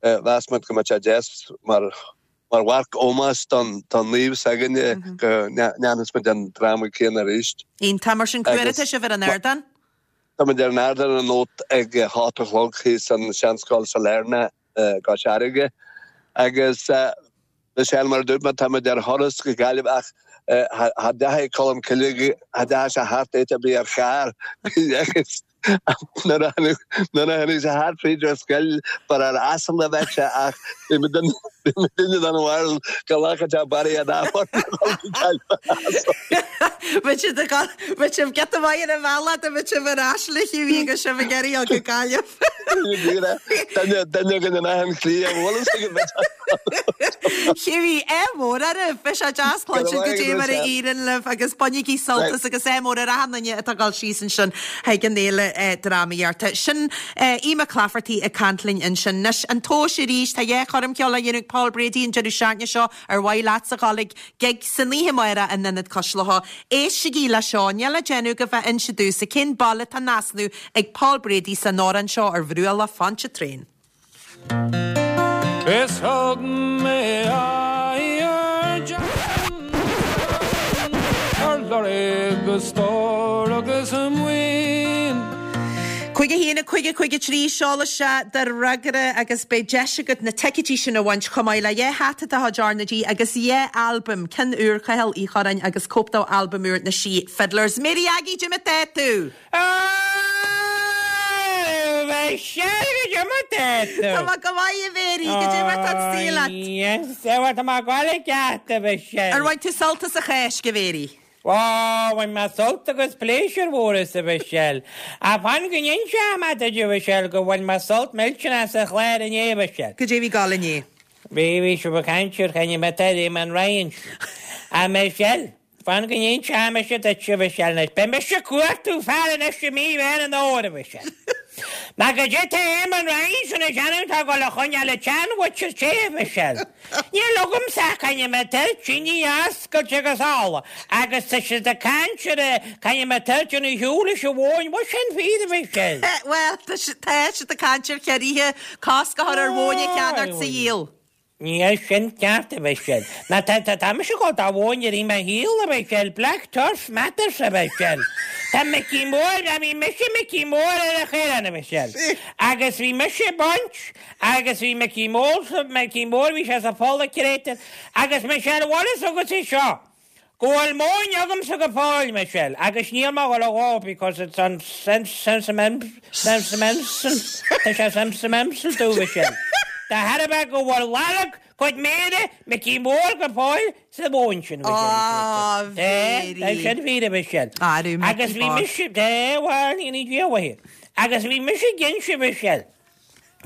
Mheas muid go mbeadh sé deas mar mar mharc ómóis don don naomh s'againne go ndéanfas muid an dráma céanna arís. Iontach. Mar sin, cá huair atá sibh ar an ardán? Tá muid ar an ardán anocht ag a hocht a chlog thíos san Seanscoil Sailearna i gCois Fharraige. Agus Michelle, mar a dúirt mé, tá muid ar thuras go Gaillimh ach cha dteachaigh Colm Cille, cha dteachaigh sé thart áit ar bith ar charr agus Nuair a tháinig sé thart fríd ar scoil ba ar asal a bheadh sé ach bhí muidinne den bharúil go nglacfadh sé barraí an Bheadh siad ag bheadh sibh giota maith ar an bhealach dá mbeadh sibh ar ais le Hughie agus sibh ag iarraidh dul go Gaillimh. Duine duine againn in achan chliath, an bhfuil fhios agat? Hughie, ádh mór oraibh! Beidh sé deas cluinstin goidé mar a éiríonn libh agus bainigí sult as agus ádh mór ar achan duine atá ag dul síos ansin chuig an fhéile drámaíochta. Sin Aodh Mac Laifeartaigh ag caint linn ansin. Anois, an tomhas arís, tá dhá choirm cheoil á dhéanamh ag Paul Brady an deireadh seachtaine seo. Ar mhaith leatsa dhul ag gig san oíche amárach in Ionad Cois Locha? Éistigí le seo, níl le déanamh ach bheith ag inse domhsa cén baile atá in easnamh ag Paul Brady san amhrán seo ar bhruach Loch Pontchartrain. Is thug mé aghaidh ar Jackson ar lorg a stór agus a maoin. 5 1 5 5 3 Seol isteach do fhreagra agus beidh deis agat na ticéidí sin a bhaint chomh maith le dhá hata de chuid R na G agus dhá albam, ceann úr Cathal Uí Chorráin agus cóip d'albam úr na Sí Fiddlers. Mary Aggie, goidé mar tá tú! Michelle, goidé mar tá tú. Tá mé go maith, a Mhary, goidé mar tá an saol leat. Yes, bhuel, tá mé ag gabháil i gceart, a Mhichelle. Ar bhain tú sult as an Cháisc, a Mhary? Ó, bhain mé sult agus pléisiúr mhór as, a Mhichelle. Ach fan go n-inseoidh mé duit, a Mhichelle, go bhain mé sult millteanach as an chlár inné, a Mhichelle. Goidé a bhí ag gabháil inné? Bhí, bhí sibh ag caint ar choinne mé tá Eamon Ryan. A Mhichelle. Fan go n-inseoidh mise duit, a Mhichelle, anois. Beidh mise ag cuartú fear anois i mí Mheán an Fhómhair, a Mhichelle. Mar goidé tá Eamon Ryan sin ag déanamh tá ag dul a choinneáil an tseanmhuintir te, a Mhichelle. Níl agamsa ach coinne mé toirtíní oscailte agus ola, agus tá siad ag caint ar a coinne mé toirtín a shiúl leis an mhóin. Bhfuil sin fíor, a Mhichelle? Bhuel, tá siad ag caint ar chiorruithe cosc a chur ar mhóin a cheannacht 's a dhíol. Níl sin ceart, a Mhichelle. Ná tá, tá, tá mise ag gabháil do mhóin i rith mo shaoil, a Mhichelle. Black Turf matters, a Mhichelle. Tá Micí Mór, bhuel bhí mise Micí Mór ar an Chaorán, a Mhichelle. Agus bhí mise ag baint, agus bhí Micí Mór, Micí Mór, bhí sé sa pholl ag créatúr. Agus Michelle, bhfuil fhios agat é seo? Go bhfuil móin agamsa go fóill, Michelle, agus níl mé ag gabháil a dhó because it's an sentimental, tá sé sentimental domh, Michelle. De thairbhe go bhfuil lorg cuid méire Micí Mór go fóill sa mhóin sin, Michelle. Á, Tá, tá sin fíor, a Mhichelle. Agus bhí mise, tá, bhuel, ní Dia uaithe. Agus bhí mise ag inse, Michelle.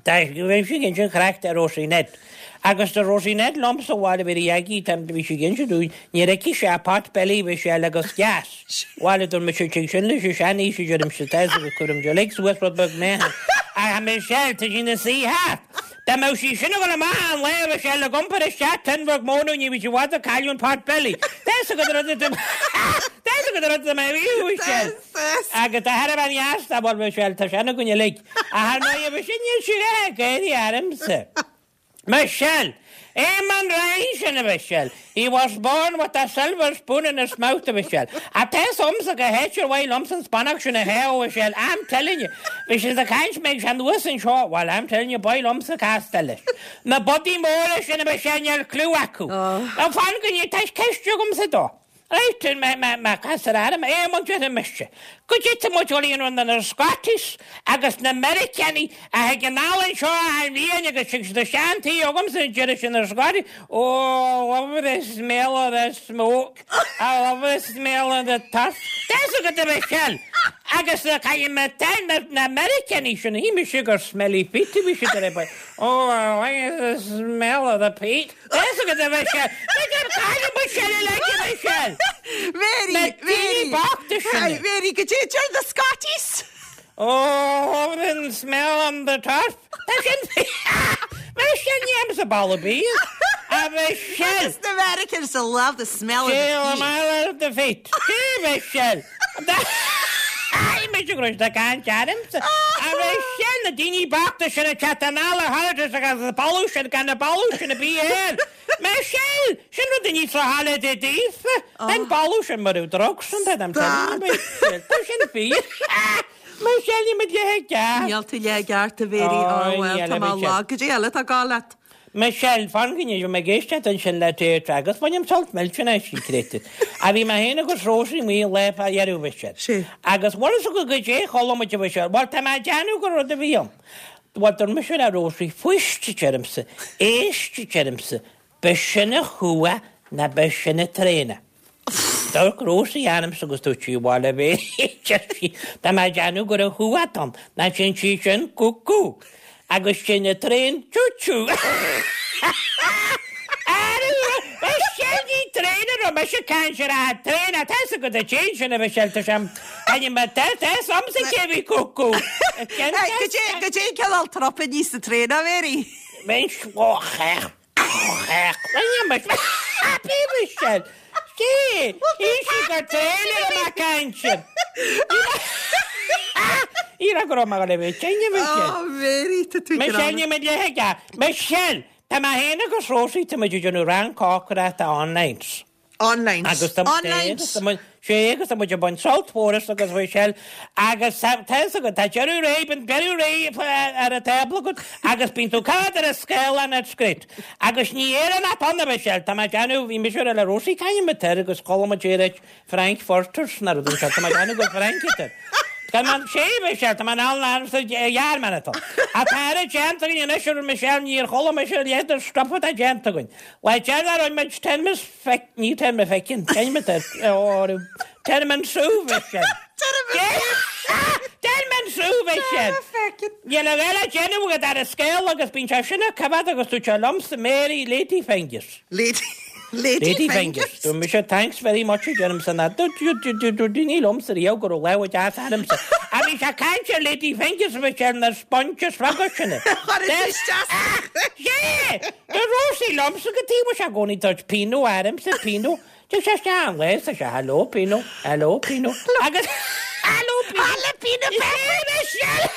Tá bhí sí ag inse an chraic do Rosie Ned. Agus do Rosie Ned liom sa bhaile bhí rí aige tá bhí sí ag inse dúinn níor fheicfidh sé pot belly bhí sé le agus gas. Bhaile dúirt mise tig sin leis an seanaois a deirimse tá agus cuirim de lig suas rud beag meáchan. Ach Michelle tá sí ina suí thart. Dá mbeadh sí sin ag dul amach an lá a bhí sé le iompar isteach tun bheag móna ní bhí sí i bhfad ag cailleadh an pot belly. Tá fhios agat an rud atá Tá fhios agat an rud atá mé a mhaíomh Michelle. Agus tá thar a bheith dheas dá bhfuil Michelle tá sé ina gcoinne uilig. Ach ar ndóigh, bhí sin níl sí ag éirí ormsa. Michelle! Eamon Ryan sin, a Mhichelle. He was born with a silver spoon in his mouth, a Mhichelle. Ach tá fhios agamsa go háit ar mhaith liomsa an spannach sin a shá, a Mhichelle. I'm telling you. Bhí siad ag caint mbeidh sé anuas anseo. Well, I'm telling you, b'fhearr liomsa castáil leis. Na budaí móra sin, a Mhichelle, níl cliú acu. Now fan go ndéan, tá ceist agamsa dó. Right, má chastar orm é, an déarfaidh mise goidé tá muid ag dul a dhéanamh na Scotties agus na Meiriceánaigh a thig anall anseo achan bhliain agus tig siad isteach an tí agamsa an deireadh sin na Scotties, oh, I love the smell of the smoke, I love the smell of the turf. Tá fhios agat a Mhichelle, agus caithfidh mé na Meiriceánaigh sin, shíl mise gur smelly feet a bhí siad ar a Oh, I like the smell of the peat. Tá fhios agat a Mhichelle. B'fhéidir cailleadh Michelle i leith a Mhichelle. Mary, Na daoine Mary. bochta sin. Mary, goidé a deir na Scotties. Oh, the smell on the turf. Tá sin Michelle ní am sa balla bí. A Michelle. Agus na Americans to love the smell of the Smell peat. of the feet. Sí, Michelle. Mise go raibh siad ag caint ormsa. A Mhichelle, na daoine bochta sin ag teacht anall ar holidays agus na boladh sin gan na boladh sin a bhí air. Michelle, sin rud a ní sa holiday daofa. An boladh sin mar raibh drugs an I'm telling you, Michelle. Tá sin fíor. Michelle, níl mé leath i gceart. Níl tú leath i gceart, a Mhary. Ó, bhuel, tá mé lag. Goidé eile atá ag gabháil leat? Michelle, Fan go bhí mé ag éisteacht ansin le Deirdre agus bainim sult millteanach as creidte. A bhí mé féin agus Rosie amuigh lá fá dheireadh Mhichelle. Sea. Agus bhfuil fhios agat goidé a chuala muid a Mhichelle, bhuel tá mé ag déanamh gur rud a bhí ann. Bhuel dúirt mise le Rosie, fuist a deirimse, éist a deirimse, b'shin a chuaigh ná b'shin a traein. D'amharc Rosie ormsa agus dúirt sí, Bhuel, a Mhéirí, a deir sí, tá mé ag déanamh gur an chuach atá ann, ná téann sí sin cú-cú, agus téann an traein choo-choo. Arú, sin í traein a raibh mise ag caint ar an traein, tá fhios agat an téann sin a Mhichelle, tá sé ainm a tá fhios agamsa cé bhí cú-cú. Goidé an cineál trupaí sa traein, a Mhéirí? Bheinn slóchach. Michelle. Sí, shíl sí gur traein a raibh mé ag caint air. Ní raibh go raibh mé le bheith tinn, a Michelle. Oh, Mary, tá tú Michelle, níl mé le aige. Michelle, tá mé féin agus Rosie, tá muid ag déanamh rang cócaireachta online. Online. Agus tá Online. agus tá muid sé agus tá muid ag baint sult mhór as agus Michelle agus tá tá fhios agat tá deireadh réidh bíonn deireadh réidh ar an tábla agat agus bíonn tú cad ar an scáileán at script agus ní Éireannach ann a Michelle tá mé ag déanamh bhí mise le Rosie caithfidh muid air agus chuala muid é ag Frankfurters ná rud anseo tá mé ag déanamh gur Frank atá Tá mé sé Michelle tá mé in ann an sa Ghearmáin atá Tá ar déanta againn anois ar Michelle níor chuala mise a leithéid de stuff atá déanta againn. Le deireadh rinne muid Termas feic, ní Terma Feicin, Terma Terman Sú Mhichelle. Terman Sú Mhichelle. Níl a dhath le déanamh agat ar an scéal agus bíonn sé sin á coimhéad agus dúirt sé liomsa Mary Lady Fingers. Lady Lady Lady Fingers. Fingers. Dúirt mise thanks very much a deirimse ná dúirt daoine liomsa riamh go raibh lámha deas ormsa. A bhí sé ag caint ar Lady Fingers Michelle na sponges beaga sin. Chuir tú isteach. Yeah! Deir Rosie liomsa go taobh sé i gcónaí dúirt Pino ormsa, Pino. D'fhéach sé isteach an lá, sa sé hello Pino, hello Pino. Agus hello Pino. Hello Pino Pepper. Michelle!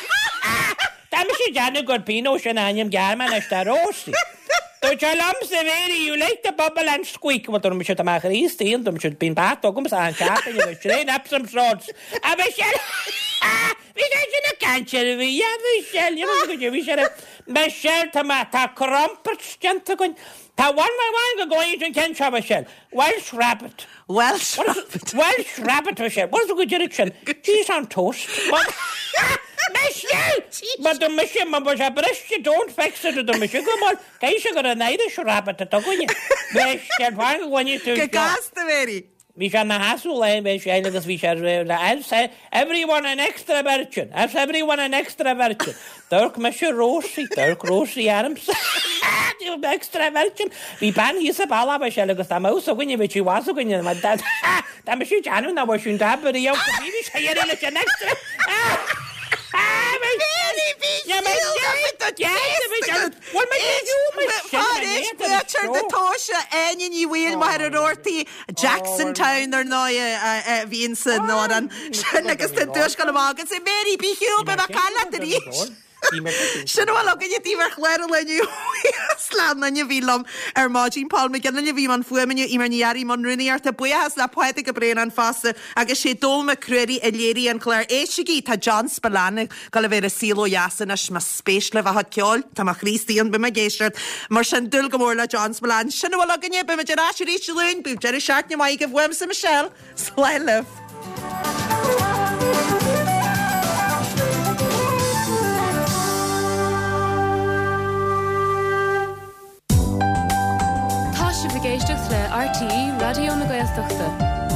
Tá mise ag déanamh gur Pino sin ainm Gearmánais do Rosie. Dúirt sé liomsa, Mary, you like to bubble and squeak. Bhuel, dúirt mise, tá mé Chríostaí, dúirt mise, bíonn beart agamsa achan seachtain agus train Epsom salts. A Michelle! Bhí sé sin ag caint ar bhí, a Michelle, you know, bhí sé ar Michelle, tá mé, tá crumpets déanta againn. Tá one by one go gcloífidh an ceann seo, Michelle. Welsh rabbit. Welsh rabbit. Welsh rabbit, Michelle. What is a good direction? Cheese on toast. Michelle! Ma do mise, ma ba sé briste, don't fix it, do mise go mar, caithfidh sé gur an Irish rabbit atá againne. Michelle, fan go gcluinfidh tú Go seo. gasta, Mary. Bhí sé ina sheasamh lá Michelle agus bhí sé le I'll everyone an extra virgin, I'll everyone an extra virgin. D'amharc mise Rosie, d'amharc Rosie ormsa. Extra virgin. Bhí bean thíos sa bealach Michelle agus dá mbeadh fhios againne bheadh sí bhfas againne mar dá dá mbeadh sí déanamh nach bhfuil sin dá bhrí go bhí bhí sé iarraidh leis an extra. Mary, bhí Pléitear na tomhaise Áine Ní Bhaoill, Machaire Rabhartaigh, Jackson Town ar ndóigh a bhíonn san amhrán sin agus tá duais ag dul amach agus Mary bí shiúl beidh mé ag caint leat arís. Sin a bhfuil againne daoibh ar chlár an lae inniu. Buíochas le gach éinne a bhí liom ar maidin. Paul McGinley a bhí i mbun fuaime inniu, Eimear Ní Fhearraigh i mbun rúnaíochta. Buíochas le Pádraig Ó Braonáin fosta agus sé Dónall Mac Ruairí a léirigh an clár. Éistigí, tá John Spillane ag dul a bheith ar an saol ó dheas anois. Más spéis libh a chuid ceoil, tá mo chroí istigh ann, beidh mé ag éisteacht. Mar sin, dúil go mór le John Spillane. Sin a bhfuil againne, beimid ar ais arís Dé Luain. Bíodh deireadh seachtaine maith agaibh uaimse, Michelle. Slán libh. Tá sibh ag éisteacht le RTÉ Raidió na Gaeltachta.